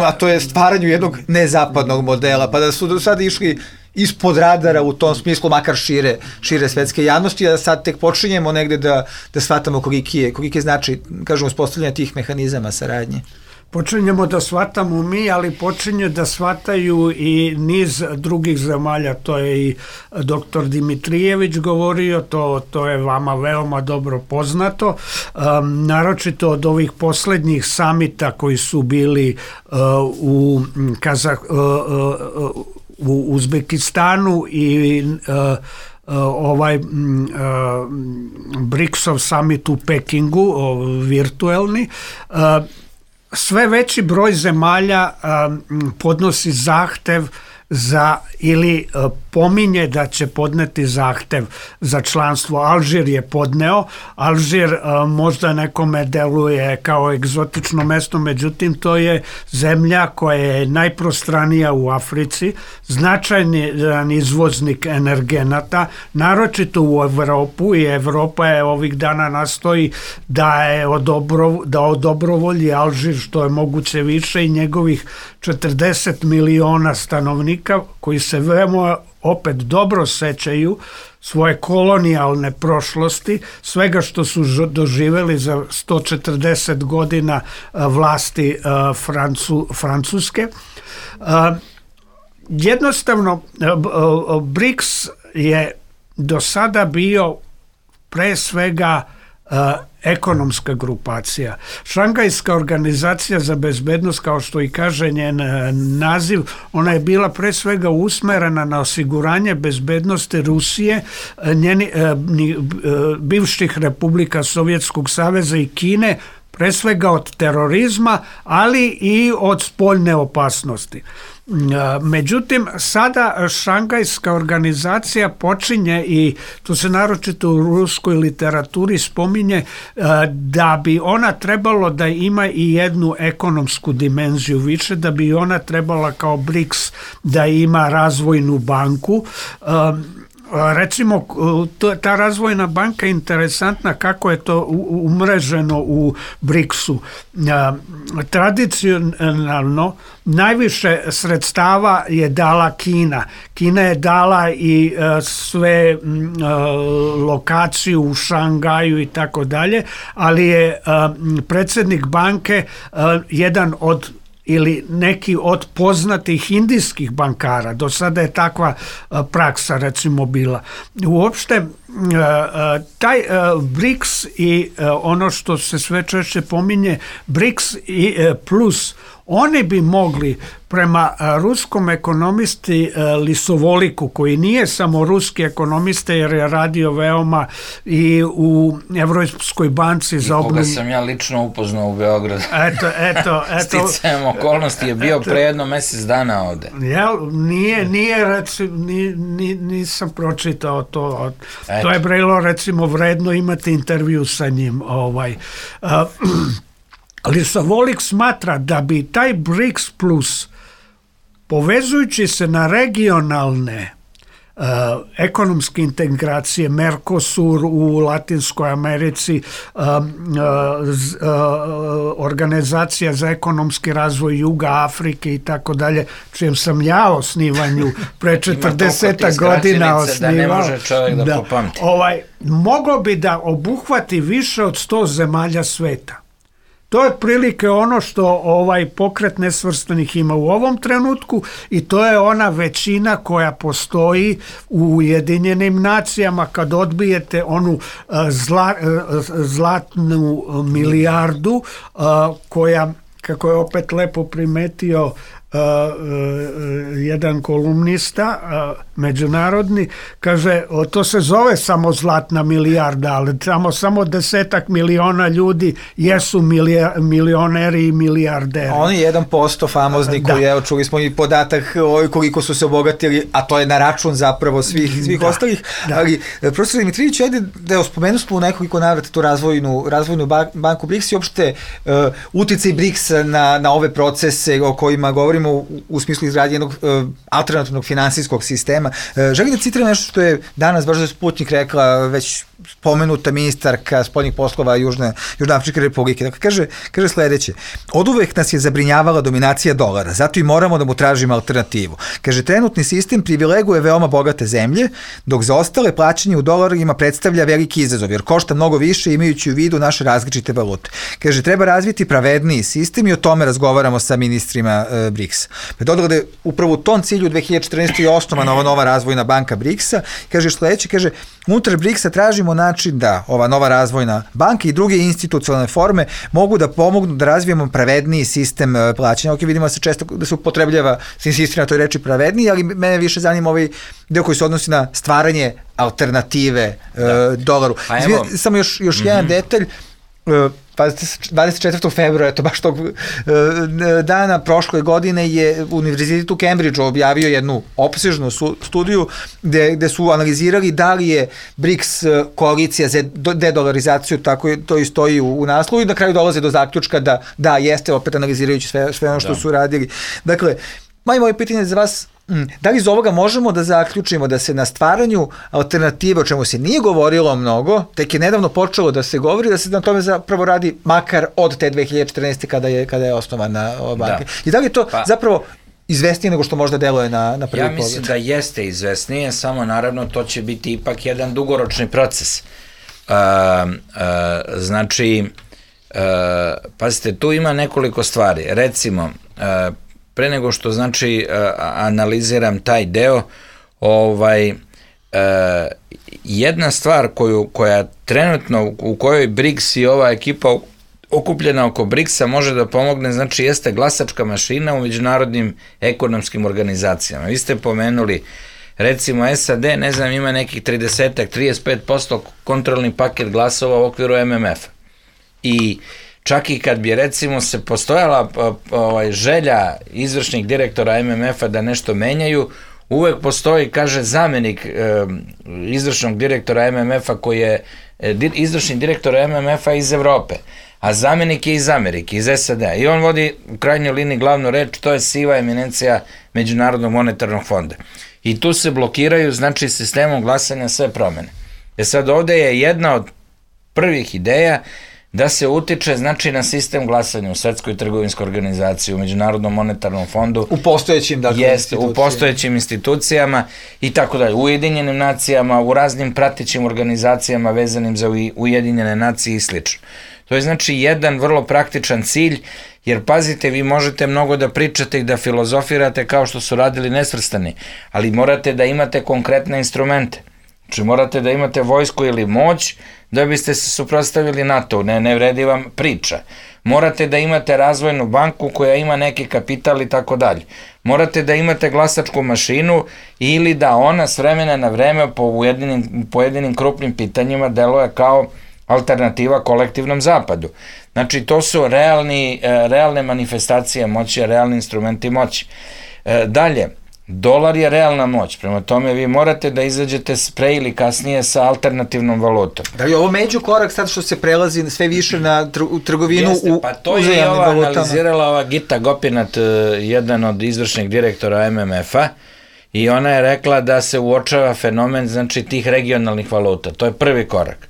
A to je stvaranju jednog nezapadnog modela, pa da su do sada išli ispod radara u tom smislu, makar šire svetske javnosti, a da sad tek počinjemo negde da shvatamo koliki je značaj, kažemo, uspostavljanja tih mehanizama saradnje. Počinjemo da shvatamo mi, ali počinje da shvataju i niz drugih zemalja. To je i doktor Dimitrijević govorio, to je vama veoma dobro poznato. Naročito od ovih poslednjih samita koji su bili u Uzbekistanu i BRICS-ov summit u Pekingu, virtuelni, sve veći broj zemalja podnosi zahtev za ili pominje da će podneti zahtev za članstvo. Alžir je podneo. Alžir možda nekome deluje kao egzotično mesto, međutim to je zemlja koja je najprostranija u Africi, značajan izvoznik energenata, naročito u Evropu, i Evropa je ovih dana nastoji da odobrovolji Alžir što je moguće više i njegovih 40 miliona stanovnika koji se veoma opet dobro sećaju svoje kolonijalne prošlosti, svega što su doživeli za 140 godina vlasti Francuske. Jednostavno, BRICS je do sada bio pre svega ekonomska grupacija. Šangajska organizacija za bezbednost, kao što i kaže njen naziv, ona je bila pre svega usmerena na osiguranje bezbednosti Rusije, bivših republika Sovjetskog saveza i Kine, pre svega od terorizma, ali i od spoljne opasnosti. Međutim, sada Šangajska organizacija počinje, i to se naročito u ruskoj literaturi spominje, da bi ona trebalo da ima i jednu ekonomsku dimenziju više, da bi ona trebala kao BRICS da ima razvojnu banku. Recimo, ta razvojna banka je interesantna kako je to umreženo u BRICS-u. Tradicionalno najviše sredstava je dala Kina. Kina je dala i sve lokaciju u Šangaju i tako dalje, ali je predsjednik banke jedan od ili neki od poznatih indijskih bankara. Do sada je takva praksa recimo bila. Uopšte taj BRICS i ono što se sve češće pominje BRICS i plus, oni bi mogli prema ruskom ekonomisti Lisovoliku, koji nije samo ruski ekonomista jer je radio veoma i u Evropskoj banci za obnovu. Koga sam ja lično upoznao u Beogradu. Eto. Sticajem okolnosti je bio pre jedno mesec dana ovde. Nisam pročitao to. To je bilo recimo vredno imati intervju sa njim. Lisovolik smatra da bi taj BRICS plus, povezujući se na regionalne ekonomske integracije, Mercosur u Latinskoj Americi, Organizacija za ekonomski razvoj Juga Afrike i tako dalje, čijem sam ja osnivanju pre 40 godina osnivao. Da ne može čovjek da popamti. Moglo bi da obuhvati više od 100 zemalja sveta. To je otprilike ono što pokret nesvrstanih ima u ovom trenutku, i to je ona većina koja postoji u Ujedinjenim nacijama kad odbijete onu zlatnu milijardu koja kako je opet lepo primetio jedan kolumnista međunarodni, kaže, to se zove samo zlatna milijarda, ali samo 10 miliona ljudi jesu milioneri i milijarderi. Oni 1% famozni koji, evo, čuli smo i podatak koliko su se obogatili, a to je na račun zapravo svih ostalih. Ali, profesor Dimitrijević, ajde da spomenuli smo u nekoliko navrata tu razvojnu banku BRICS i uopšte uticaj BRICS na ove procese o kojima govorimo u smislu izgradnje jednog alternativnog finansijskog sistema. Želim da citiram nešto što je danas, baš za Sputnik rekla već spomenuta ministarka spoljnih poslova Južnoafričke republike. Dakle, kaže sledeće: oduvek nas je zabrinjavala dominacija dolara, zato i moramo da mu tražimo alternativu. Kaže, trenutni sistem privileguje veoma bogate zemlje, dok za ostale plaćanje u dolarima predstavlja veliki izazov, jer košta mnogo više imajući u vidu naše različite valute. Kaže, treba razviti pravedniji sistem i o tome razgovaramo sa ministrima BRICS. Dodala da je upravo u tom cilju 2014. je osnovana ova nova razvojna banka BRICS-a. Kaže sledeće, kaže, unutar BRICS-a tražimo način da ova nova razvojna banka i druge institucionalne forme mogu da pomognu da razvijemo pravedniji sistem plaćanja. Ok, vidimo se često da se upotrebljava, se insistira na toj reči pravedniji, ali mene više zanima ovaj deo koji se odnosi na stvaranje alternative dolaru. Samo još jedan detalj. 24. februara, to baš tog dana prošle godine je Univerzitet u Cambridgeu objavio jednu opsežnu studiju gde su analizirali da li je BRICS koalicija za dedolarizaciju, tako to i stoji u naslovu, i na kraju dolaze do zaključka da jeste, opet analizirajući sve ono što su radili. Dakle, moje pitanje za vas: da li iz ovoga možemo da zaključimo da se na stvaranju alternative, o čemu se nije govorilo mnogo, tek je nedavno počelo da se govori, da se na tome zapravo radi makar od te 2014. kada je osnovana ova banka? I da li je to zapravo izvesnije nego što možda deluje na prvi pogled? Ja mislim da jeste izvesnije, samo naravno to će biti ipak jedan dugoročni proces. Znači, pazite, tu ima nekoliko stvari. Recimo, pre nego što, znači, analiziram taj deo, jedna stvar koja trenutno, u kojoj BRICS i ova ekipa okupljena oko BRICS-a može da pomogne, znači, jeste glasačka mašina u međunarodnim ekonomskim organizacijama. Vi ste pomenuli, recimo, SAD, ne znam, ima nekih 35% kontrolni paket glasova u okviru MMF-a. I čak i kad bi, recimo, se postojala želja izvršnih direktora MMF-a da nešto menjaju, uvek postoji, kaže, zamenik izvršnog direktora MMF-a koji je izvršni direktor MMF-a iz Evrope, a zamenik je iz Amerike, iz SAD-a, i on vodi u krajnjoj liniji glavnu reč, to je siva eminencija Međunarodnog monetarnog fonda. I tu se blokiraju, znači, sistemom glasanja sve promene. Sad ovde je jedna od prvih ideja da se utiče, znači, na sistem glasanja u Svetskoj trgovinskoj organizaciji, u Međunarodnom monetarnom fondu. U postojećim, dakle, institucijama. U postojećim institucijama i tako dalje. U Ujedinjenim nacijama, u raznim pratećim organizacijama vezanim za Ujedinjene nacije i slično. To je, znači, jedan vrlo praktičan cilj, jer, pazite, vi možete mnogo da pričate i da filozofirate kao što su radili Nesvrstani, ali morate da imate konkretne instrumente. Znači, morate da imate vojsku ili moć da biste se suprotstavili NATO, ne vredi vam priča. Morate da imate razvojnu banku koja ima neki kapital i tako dalje. Morate da imate glasačku mašinu ili da ona s vremena na vreme po pojedinim krupnim pitanjima deluje kao alternativa kolektivnom zapadu. Znači, to su realne manifestacije moći, realni instrumenti moći. Dalje, dolar je realna moć, prema tome vi morate da izađete pre ili kasnije sa alternativnom valutom. Da li je ovo među korak sad što se prelazi sve više na trgovinu u uzajamnim valutama? Pa to je ova analizirala ova Gita Gopinath, jedan od izvršnih direktora MMF-a, i ona je rekla da se uočava fenomen, znači, tih regionalnih valuta. To je prvi korak.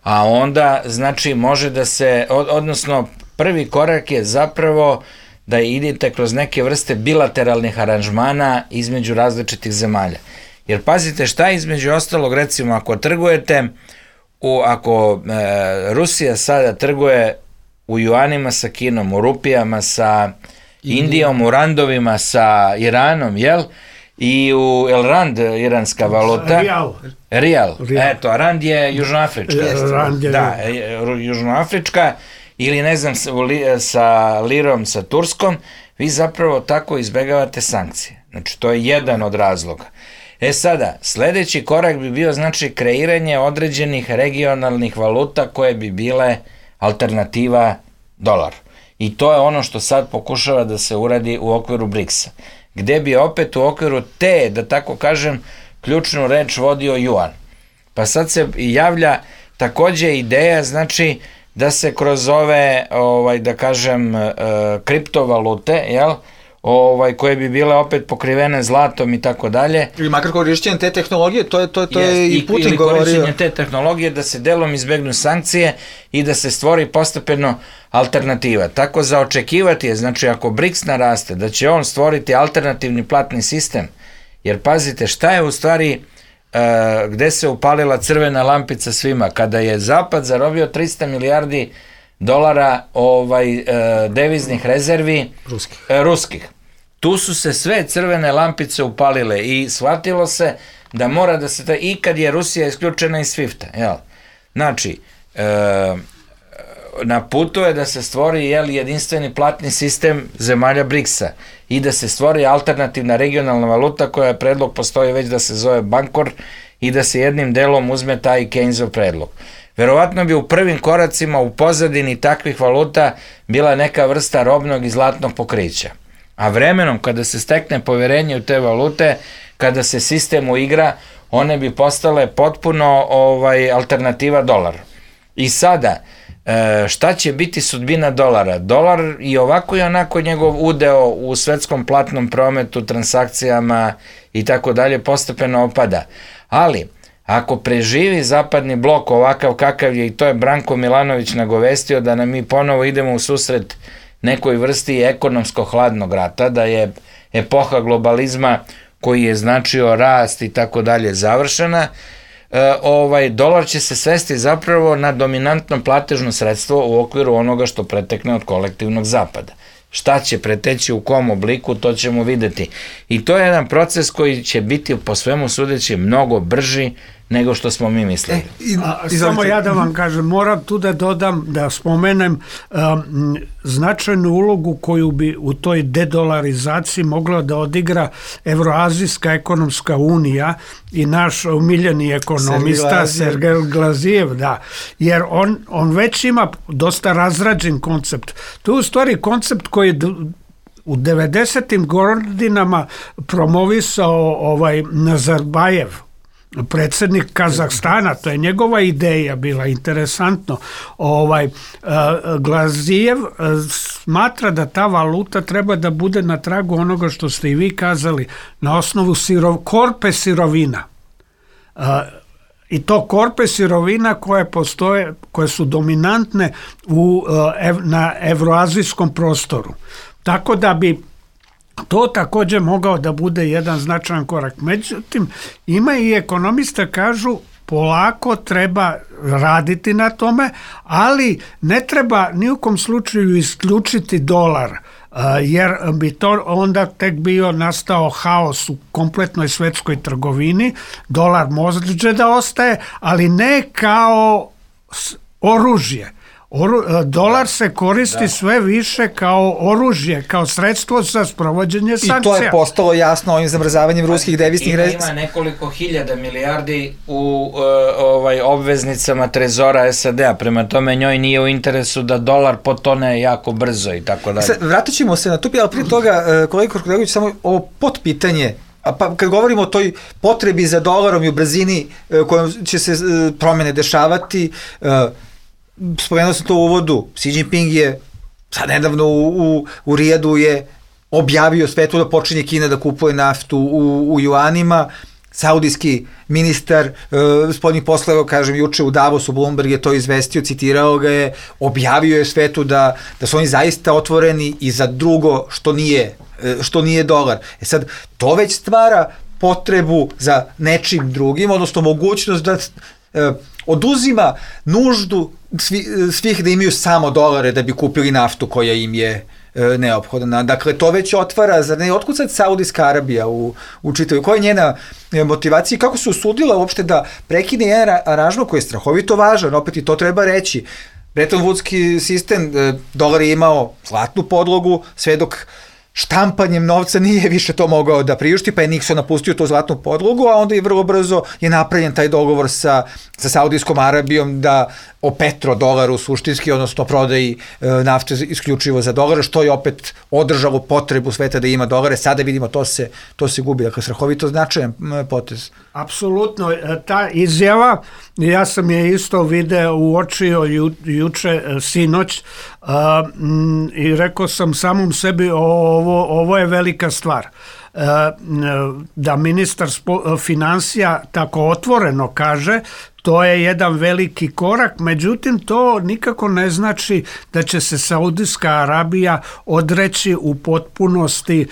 A onda, znači, može da se, odnosno, prvi korak je zapravo da idete kroz neke vrste bilateralnih aranžmana između različitih zemalja. Jer pazite, šta je između ostalog, recimo, ako trgujete, ako Rusija sada trguje u juanima sa Kinom, u rupijama sa Indijom, u randovima sa Iranom, jel? I u rand, iranska valuta. Rial. Eto, a rand je južnoafrička. Rand je. Da, južnoafrička. ili ne znam sa lirom, sa Turskom, vi zapravo tako izbegavate sankcije. Znači, to je jedan od razloga. Sada, sledeći korak bi bio, znači, kreiranje određenih regionalnih valuta koje bi bile alternativa dolaru. I to je ono što sad pokušava da se uradi u okviru BRICS-a, gde bi opet u okviru te, da tako kažem, ključnu reč vodio juan. Pa sad se javlja takođe ideja, znači, da se kroz ove, da kažem, kriptovalute, jel, koje bi bile opet pokrivene zlatom i tako dalje. Ili makar korišćenje te tehnologije, to je i Putin govorio. Ili korišćenje te tehnologije da se delom izbegnu sankcije i da se stvori postepeno alternativa. Tako za očekivati je, znači ako BRICS naraste, da će on stvoriti alternativni platni sistem, jer pazite šta je u stvari, gde se upalila crvena lampica svima, kada je Zapad zarobio 300 milijardi dolara deviznih rezervi ruskih. Tu su se sve crvene lampice upalile i shvatilo se da mora da se, i kad je Rusija isključena iz SWIFT-a, jel? Znači, na putu je da se stvori jedinstveni platni sistem zemalja BRICS-a i da se stvori alternativna regionalna valuta koja predlog postoji već da se zove Bankor i da se jednim delom uzme taj Keynesov predlog. Verovatno bi u prvim koracima u pozadini takvih valuta bila neka vrsta robnog i zlatnog pokrića. A vremenom, kada se stekne poverenje u te valute, kada se sistem uigra, one bi postale potpuno alternativa dolaru. I sada, šta će biti sudbina dolara? Dolar i ovako i onako njegov udeo u svetskom platnom prometu, transakcijama i tako dalje postepeno opada. Ali, ako preživi zapadni blok ovakav kakav je, i to je Branko Milanović nagovestio, da nam mi ponovo idemo u susret nekoj vrsti ekonomskog hladnog rata, da je epoha globalizma koji je značio rast i tako dalje završena, dolar će se svesti zapravo na dominantno platežno sredstvo u okviru onoga što pretekne od kolektivnog zapada. Šta će preteći u kom obliku, to ćemo videti. I to je jedan proces koji će biti po svemu sudeći mnogo brži nego što smo mi mislili. Samo ja da vam kažem, moram tu da dodam, da spomenem značajnu ulogu koju bi u toj dedolarizaciji mogla da odigra Evroazijska ekonomska unija i naš omiljeni ekonomista Sergej Glazijev, da, jer on već ima dosta razrađen koncept. To je u stvari koncept koji je u 90. godinama promovisao Nazarbajev, predsjednik Kazahstana, to je njegova ideja bila, interesantno. Glazijev smatra da ta valuta treba da bude na tragu onoga što ste i vi kazali, na osnovu korpe sirovina. I to korpe sirovina koje postoje, koje su dominantne na evroazijskom prostoru. Tako da bi to također mogao da bude jedan značajan korak. Međutim, ima i ekonomista kažu polako treba raditi na tome, ali ne treba ni u kom slučaju isključiti dolar, jer bi to onda tek bio nastao haos u kompletnoj svetskoj trgovini. Dolar može da ostaje, ali ne kao oružje. Dolar se koristi sve više kao oružje, kao sredstvo za sprovođenje sankcija. I to je postalo jasno ovim zamrzavanjem ruskih deviznih rezervi. Ima nekoliko hiljada milijardi u obveznicama trezora SAD-a, prema tome njoj nije u interesu da dolar potone jako brzo i tako dalje. Vratit ćemo se na to, ali prije toga, kolega Korkolegović, samo ovo potpitanje, pa kad govorimo o toj potrebi za dolarom i u brzini kojom će se promene dešavati, spomenuo sam to u uvodu, Xi Jinping je sad nedavno u Rijadu je objavio svetu da počinje Kina da kupuje naftu u juanima. Saudijski ministar spoljnih poslova, kažem, juče u Davosu, Bloomberg je to izvestio, citirao ga je, objavio je svetu da su oni zaista otvoreni i za drugo što nije dolar. Sad, to već stvara potrebu za nečim drugim, odnosno mogućnost da oduzima nuždu svih da imaju samo dolare da bi kupili naftu koja im je neophodna. Dakle, to već otvara, zar ne, otkud sad Saudijska Arabija u čitavu, koja je njena motivacija i kako se usudila uopšte da prekine jedan aranžman koji je strahovito važan, opet i to treba reći. Bretton Woodski sistem, dolar je imao zlatnu podlogu, sve dok štampanjem novca nije više to mogao da priušti, pa je Nixon napustio tu zlatnu podlogu, a onda je vrlo brzo je napravljen taj dogovor sa Saudijskom Arabijom da o petrodolaru suštinski, odnosno prodaji nafte isključivo za dolare, što je opet održalo potrebu sveta da ima dolare. Sada vidimo to se gubi. Dakle, strahovito značajan potez. Apsolutno. Ta izjava, ja sam je isto uočio juče, sinoć, i rekao sam samom sebi, ovo je velika stvar. Da ministar finansija tako otvoreno kaže, to je jedan veliki korak, međutim to nikako ne znači da će se Saudijska Arabija odreći u potpunosti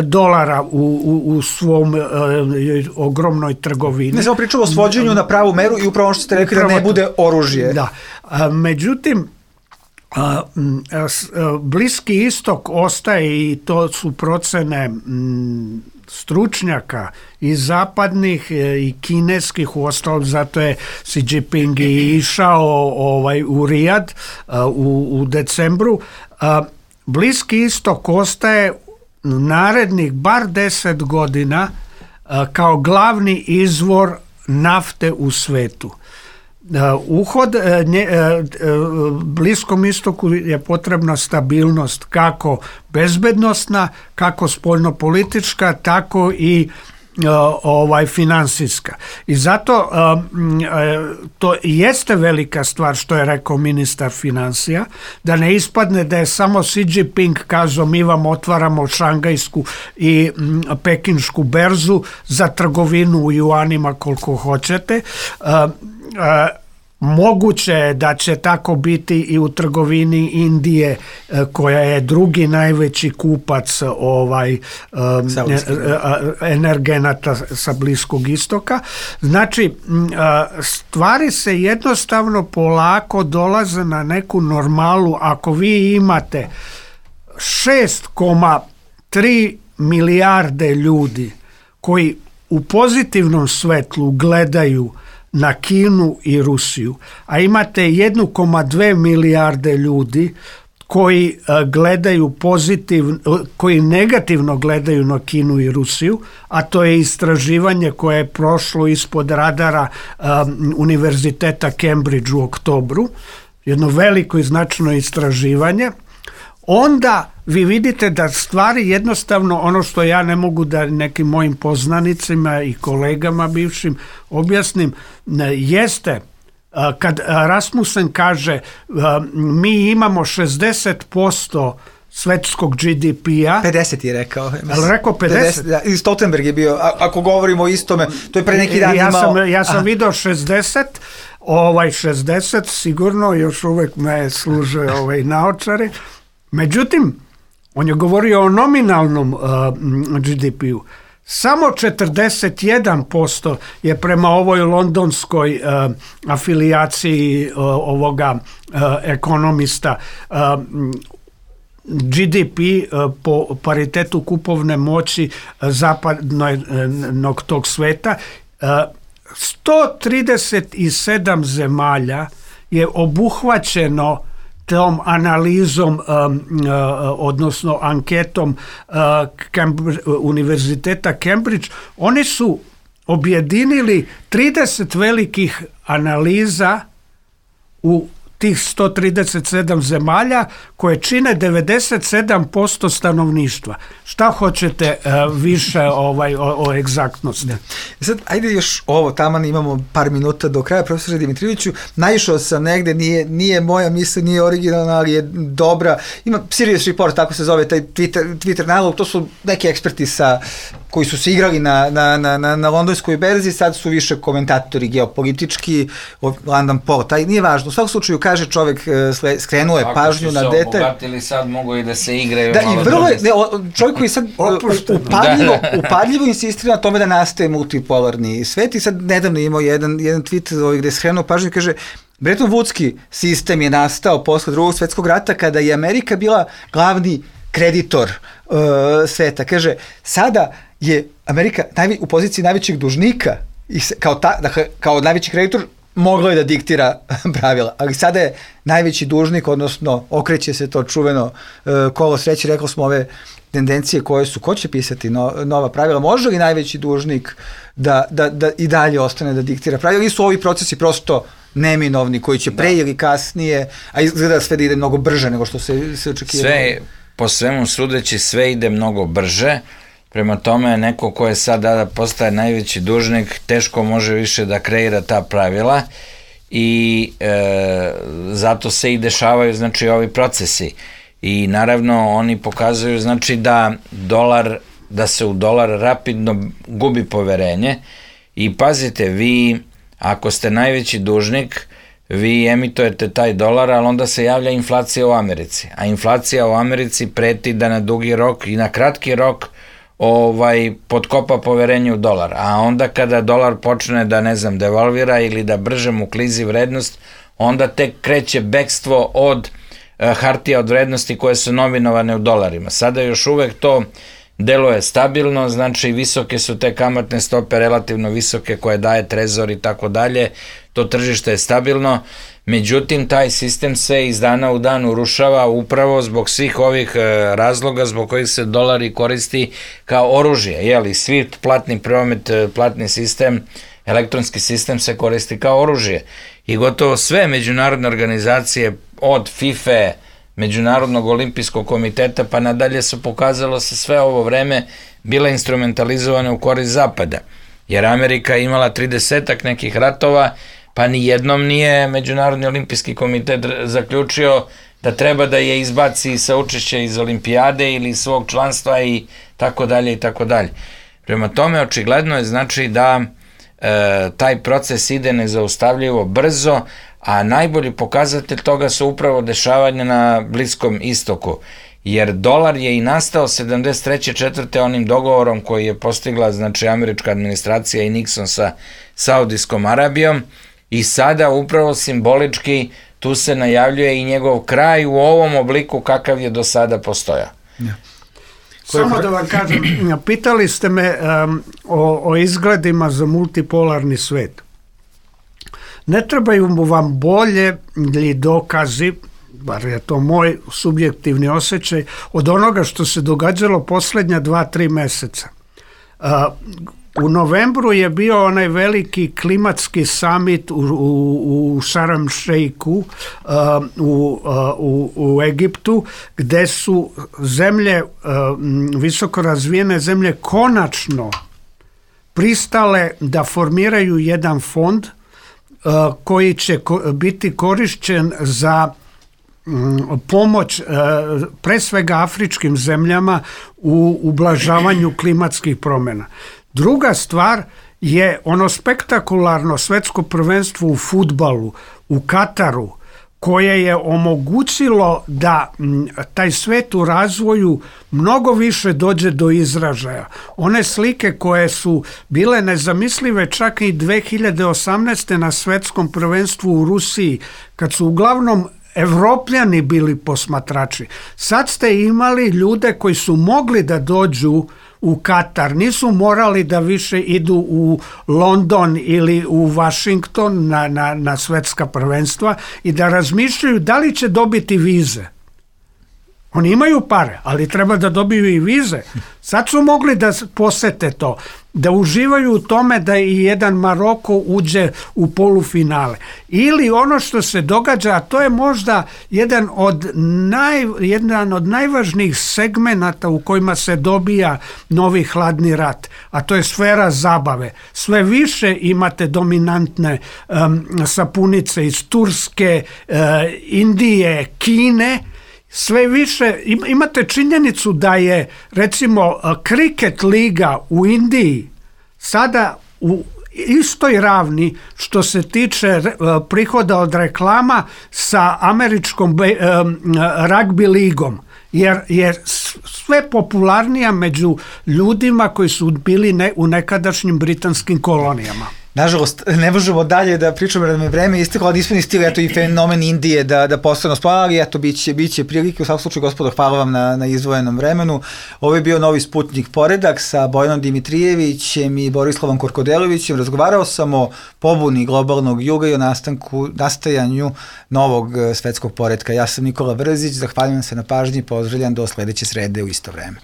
dolara u svom ogromnoj trgovini. Ne samo pričamo o svođenju na pravu meru i upravo što ste rekli da ne bude oružje. Da. Međutim, Bliski istok ostaje, i to su procene stručnjaka i zapadnih i kineskih, uostalom zato je Xi Jinping i išao u Rijad u decembru. Bliski istok ostaje narednih bar 10 godina kao glavni izvor nafte u svetu. Uhod Bliskom istoku je potrebna stabilnost, kako bezbednosna, kako spoljnopolitička, tako i finansijska. I zato to jeste velika stvar što je rekao ministar finansija, da ne ispadne da je samo Xi Jinping kazao mi vam otvaramo šangajsku i pekinšku berzu za trgovinu u juanima koliko hoćete. Moguće je da će tako biti i u trgovini Indije, koja je drugi najveći kupac energenata sa Bliskog istoka. Znači, stvari se jednostavno polako dolaze na neku normalu. Ako vi imate 6,3 milijarde ljudi koji u pozitivnom svetlu gledaju na Kinu i Rusiju, a imate 1,2 milijarde ljudi koji gledaju koji negativno gledaju na Kinu i Rusiju, a to je istraživanje koje je prošlo ispod radara Univerziteta Cambridge u oktobru, jedno veliko i značajno istraživanje, onda vi vidite da stvari jednostavno, ono što ja ne mogu da nekim mojim poznanicima i kolegama bivšim objasnim, jeste kad Rasmussen kaže mi imamo 60% svetskog GDP-a. 50 je rekao. Ali rekao 50? Da, i Stoltenberg je bio, ako govorimo o istome, to je pre neki dan imao. Ja sam video 60, 60 sigurno, još uvek me služe naočari. Međutim, on je govorio o nominalnom GDP-u. Samo 41% je prema ovoj londonskoj afilijaciji ovoga ekonomista GDP po paritetu kupovne moći zapadnog tog sveta. 137 zemalja je obuhvaćeno tom analizom, odnosno anketom Univerziteta Cambridge. Oni su objedinili 30 velikih analiza u tih 137 zemalja koje čine 97% stanovništva. Šta hoćete više o egzaktnosti? Sad, ajde još ovo, taman imamo par minuta do kraja, profesore Dimitrijeviću. Naišao sam negde, nije moja misla, nije originalna, ali je dobra. Ima Sirius Report, tako se zove taj Twitter nalog, to su neki eksperti koji su se igrali na londonskoj berzi, sad su više komentatori geopolitički, London Post, nije važno. U svakom slučaju kaže čovjek, skrenuo je pažnju na detalj. Ako su se obogatili, sad mogu i da se igraju. Da, i vrlo je, čovjek koji sad upadljivo insistira na tome da nastaje multipolarni svet, i sad nedavno imao jedan tweet gde je skrenuo pažnju i kaže Bretton Woodski sistem je nastao posle Drugog svjetskog rata kada je Amerika bila glavni kreditor sveta. Kaže, sada je Amerika u poziciji najvećeg dužnika i kao najveći kreditor moglo je da diktira pravila, ali sada je najveći dužnik, odnosno okreće se to čuveno kolo sreće, rekli smo ove tendencije koje su, ko će pisati nova pravila, može li najveći dužnik da i dalje ostane da diktira pravila, ili su ovi procesi prosto neminovni koji će pre ili kasnije, a izgleda sve da ide mnogo brže nego što se očekivalo. Sve, po svemu sudeći, sve ide mnogo brže, prema tome neko ko je sad da postaje najveći dužnik teško može više da kreira ta pravila i zato se i dešavaju znači ovi procesi i naravno oni pokazuju znači da se u dolar rapidno gubi poverenje i pazite, vi ako ste najveći dužnik vi emitujete taj dolar, ali onda se javlja inflacija u Americi, a inflacija u Americi preti da na dugi rok i na kratki rok podkopa poverenje u dolar, a onda kada dolar počne da devalvira ili da brže mu klizi vrednost, onda tek kreće bekstvo od hartija od vrednosti koje su nominovane u dolarima. Sada još uvek to deluje stabilno, znači visoke su te kamatne stope, relativno visoke koje daje trezor i tako dalje, to tržište je stabilno, međutim taj sistem se iz dana u dan urušava upravo zbog svih ovih razloga zbog kojih se dolari koristi kao oružje, SWIFT, platni promet, platni sistem, elektronski sistem se koristi kao oružje i gotovo sve međunarodne organizacije od FIFA, Međunarodnog olimpijskog komiteta pa nadalje su pokazalo se sve ovo vreme bile instrumentalizovane u korist Zapada, jer Amerika je imala 30-ak nekih ratova, pa ni jednom nije Međunarodni olimpijski komitet zaključio da treba da je izbaci sa učešća iz olimpijade ili svog članstva i tako dalje i tako dalje. Prema tome očigledno je znači da taj proces ide nezaustavljivo brzo, a najbolji pokazatelj toga su upravo dešavanja na Bliskom istoku, jer dolar je i nastao 73. 4. onim dogovorom koji je postigla znači američka administracija i Nixon sa Saudijskom Arabijom i sada upravo simbolički tu se najavljuje i njegov kraj u ovom obliku kakav je do sada postojao. Ja. Samo da vam kažem, pitali ste me o izgledima za multipolarni svet. Ne trebaju vam bolje ili dokazi, bar je to moj subjektivni osjećaj, od onoga što se događalo posljednja 2-3 meseca. U novembru je bio onaj veliki klimatski summit u Sharm Sheikhu u Egiptu, gde su zemlje, visoko razvijene zemlje, konačno pristale da formiraju jedan fond koji će biti korišćen za pomoć pre svega afričkim zemljama u ublažavanju klimatskih promjena. Druga stvar je ono spektakularno svetsko prvenstvo u fudbalu u Kataru, koje je omogućilo da taj svet u razvoju mnogo više dođe do izražaja. One slike koje su bile nezamislive čak i 2018. na svetskom prvenstvu u Rusiji, kad su uglavnom Evropljani bili posmatrači. Sad ste imali ljude koji su mogli da dođu u Katar, nisu morali da više idu u London ili u Washington na svetska prvenstva i da razmišljaju da li će dobiti vize. Oni imaju pare, ali treba da dobiju i vize. Sad su mogli da posete to, da uživaju u tome da i jedan Maroko uđe u polufinale. Ili ono što se događa, a to je možda jedan od najvažnijih segmenata u kojima se dobija novi hladni rat, a to je sfera zabave. Sve više imate dominantne sapunice iz Turske, Indije, Kine. Sve više imate činjenicu da je recimo kriket liga u Indiji sada u istoj ravni što se tiče prihoda od reklama sa američkom ragbi ligom, jer je sve popularnija među ljudima koji su bili u nekadašnjim britanskim kolonijama. Nažalost, ne možemo dalje da pričamo da nam je vreme isteklo, ali nismo ni stigli, eto i fenomen Indije da postane spomenu, ali eto, biće prilike. U svakom slučaju, gospodo, hvala vam na izdvojenom vremenu. Ovo je bio Novi Sputnik Poredak sa Bojanom Dimitrijevićem i Borislavom Korkodelovićem. Razgovarao sam o pobuni globalnog juga i o nastajanju novog svetskog poretka. Ja sam Nikola Vrzić, zahvaljujem se na pažnji i pozdravljam do sledeće srede u isto vreme.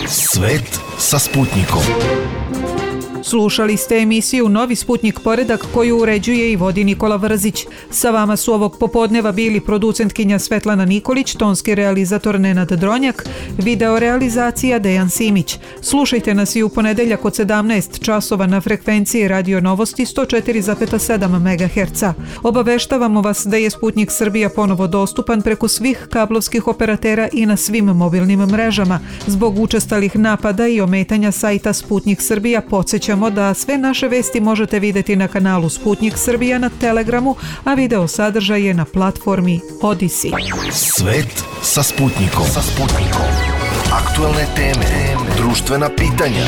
Svet sa Sputnikom. Slušali ste emisiju Novi Sputnik Poredak koju uređuje i vodi Nikola Vrzić. Sa vama su ovog popodneva bili producentkinja Svetlana Nikolić, tonski realizator Nenad Dronjak, video realizacija Dejan Simić. Slušajte nas i u ponedeljak od 17 časova na frekvenciji Radio Novosti 104,7 MHz. Obaveštavamo vas da je Sputnik Srbija ponovo dostupan preko svih kablovskih operatera i na svim mobilnim mrežama. Zbog učestalih napada i ometanja sajta Sputnik Srbija podsjećamo da sve naše vesti možete videti na kanalu Sputnik Srbija na Telegramu, a video sadržaj je na platformi Odisi. Svet sa Sputnikom. Aktualne teme, društvena pitanja,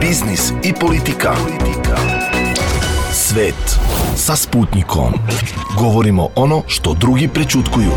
biznis i politika. Svet sa Sputnikom. Govorimo ono što drugi prećutkuju.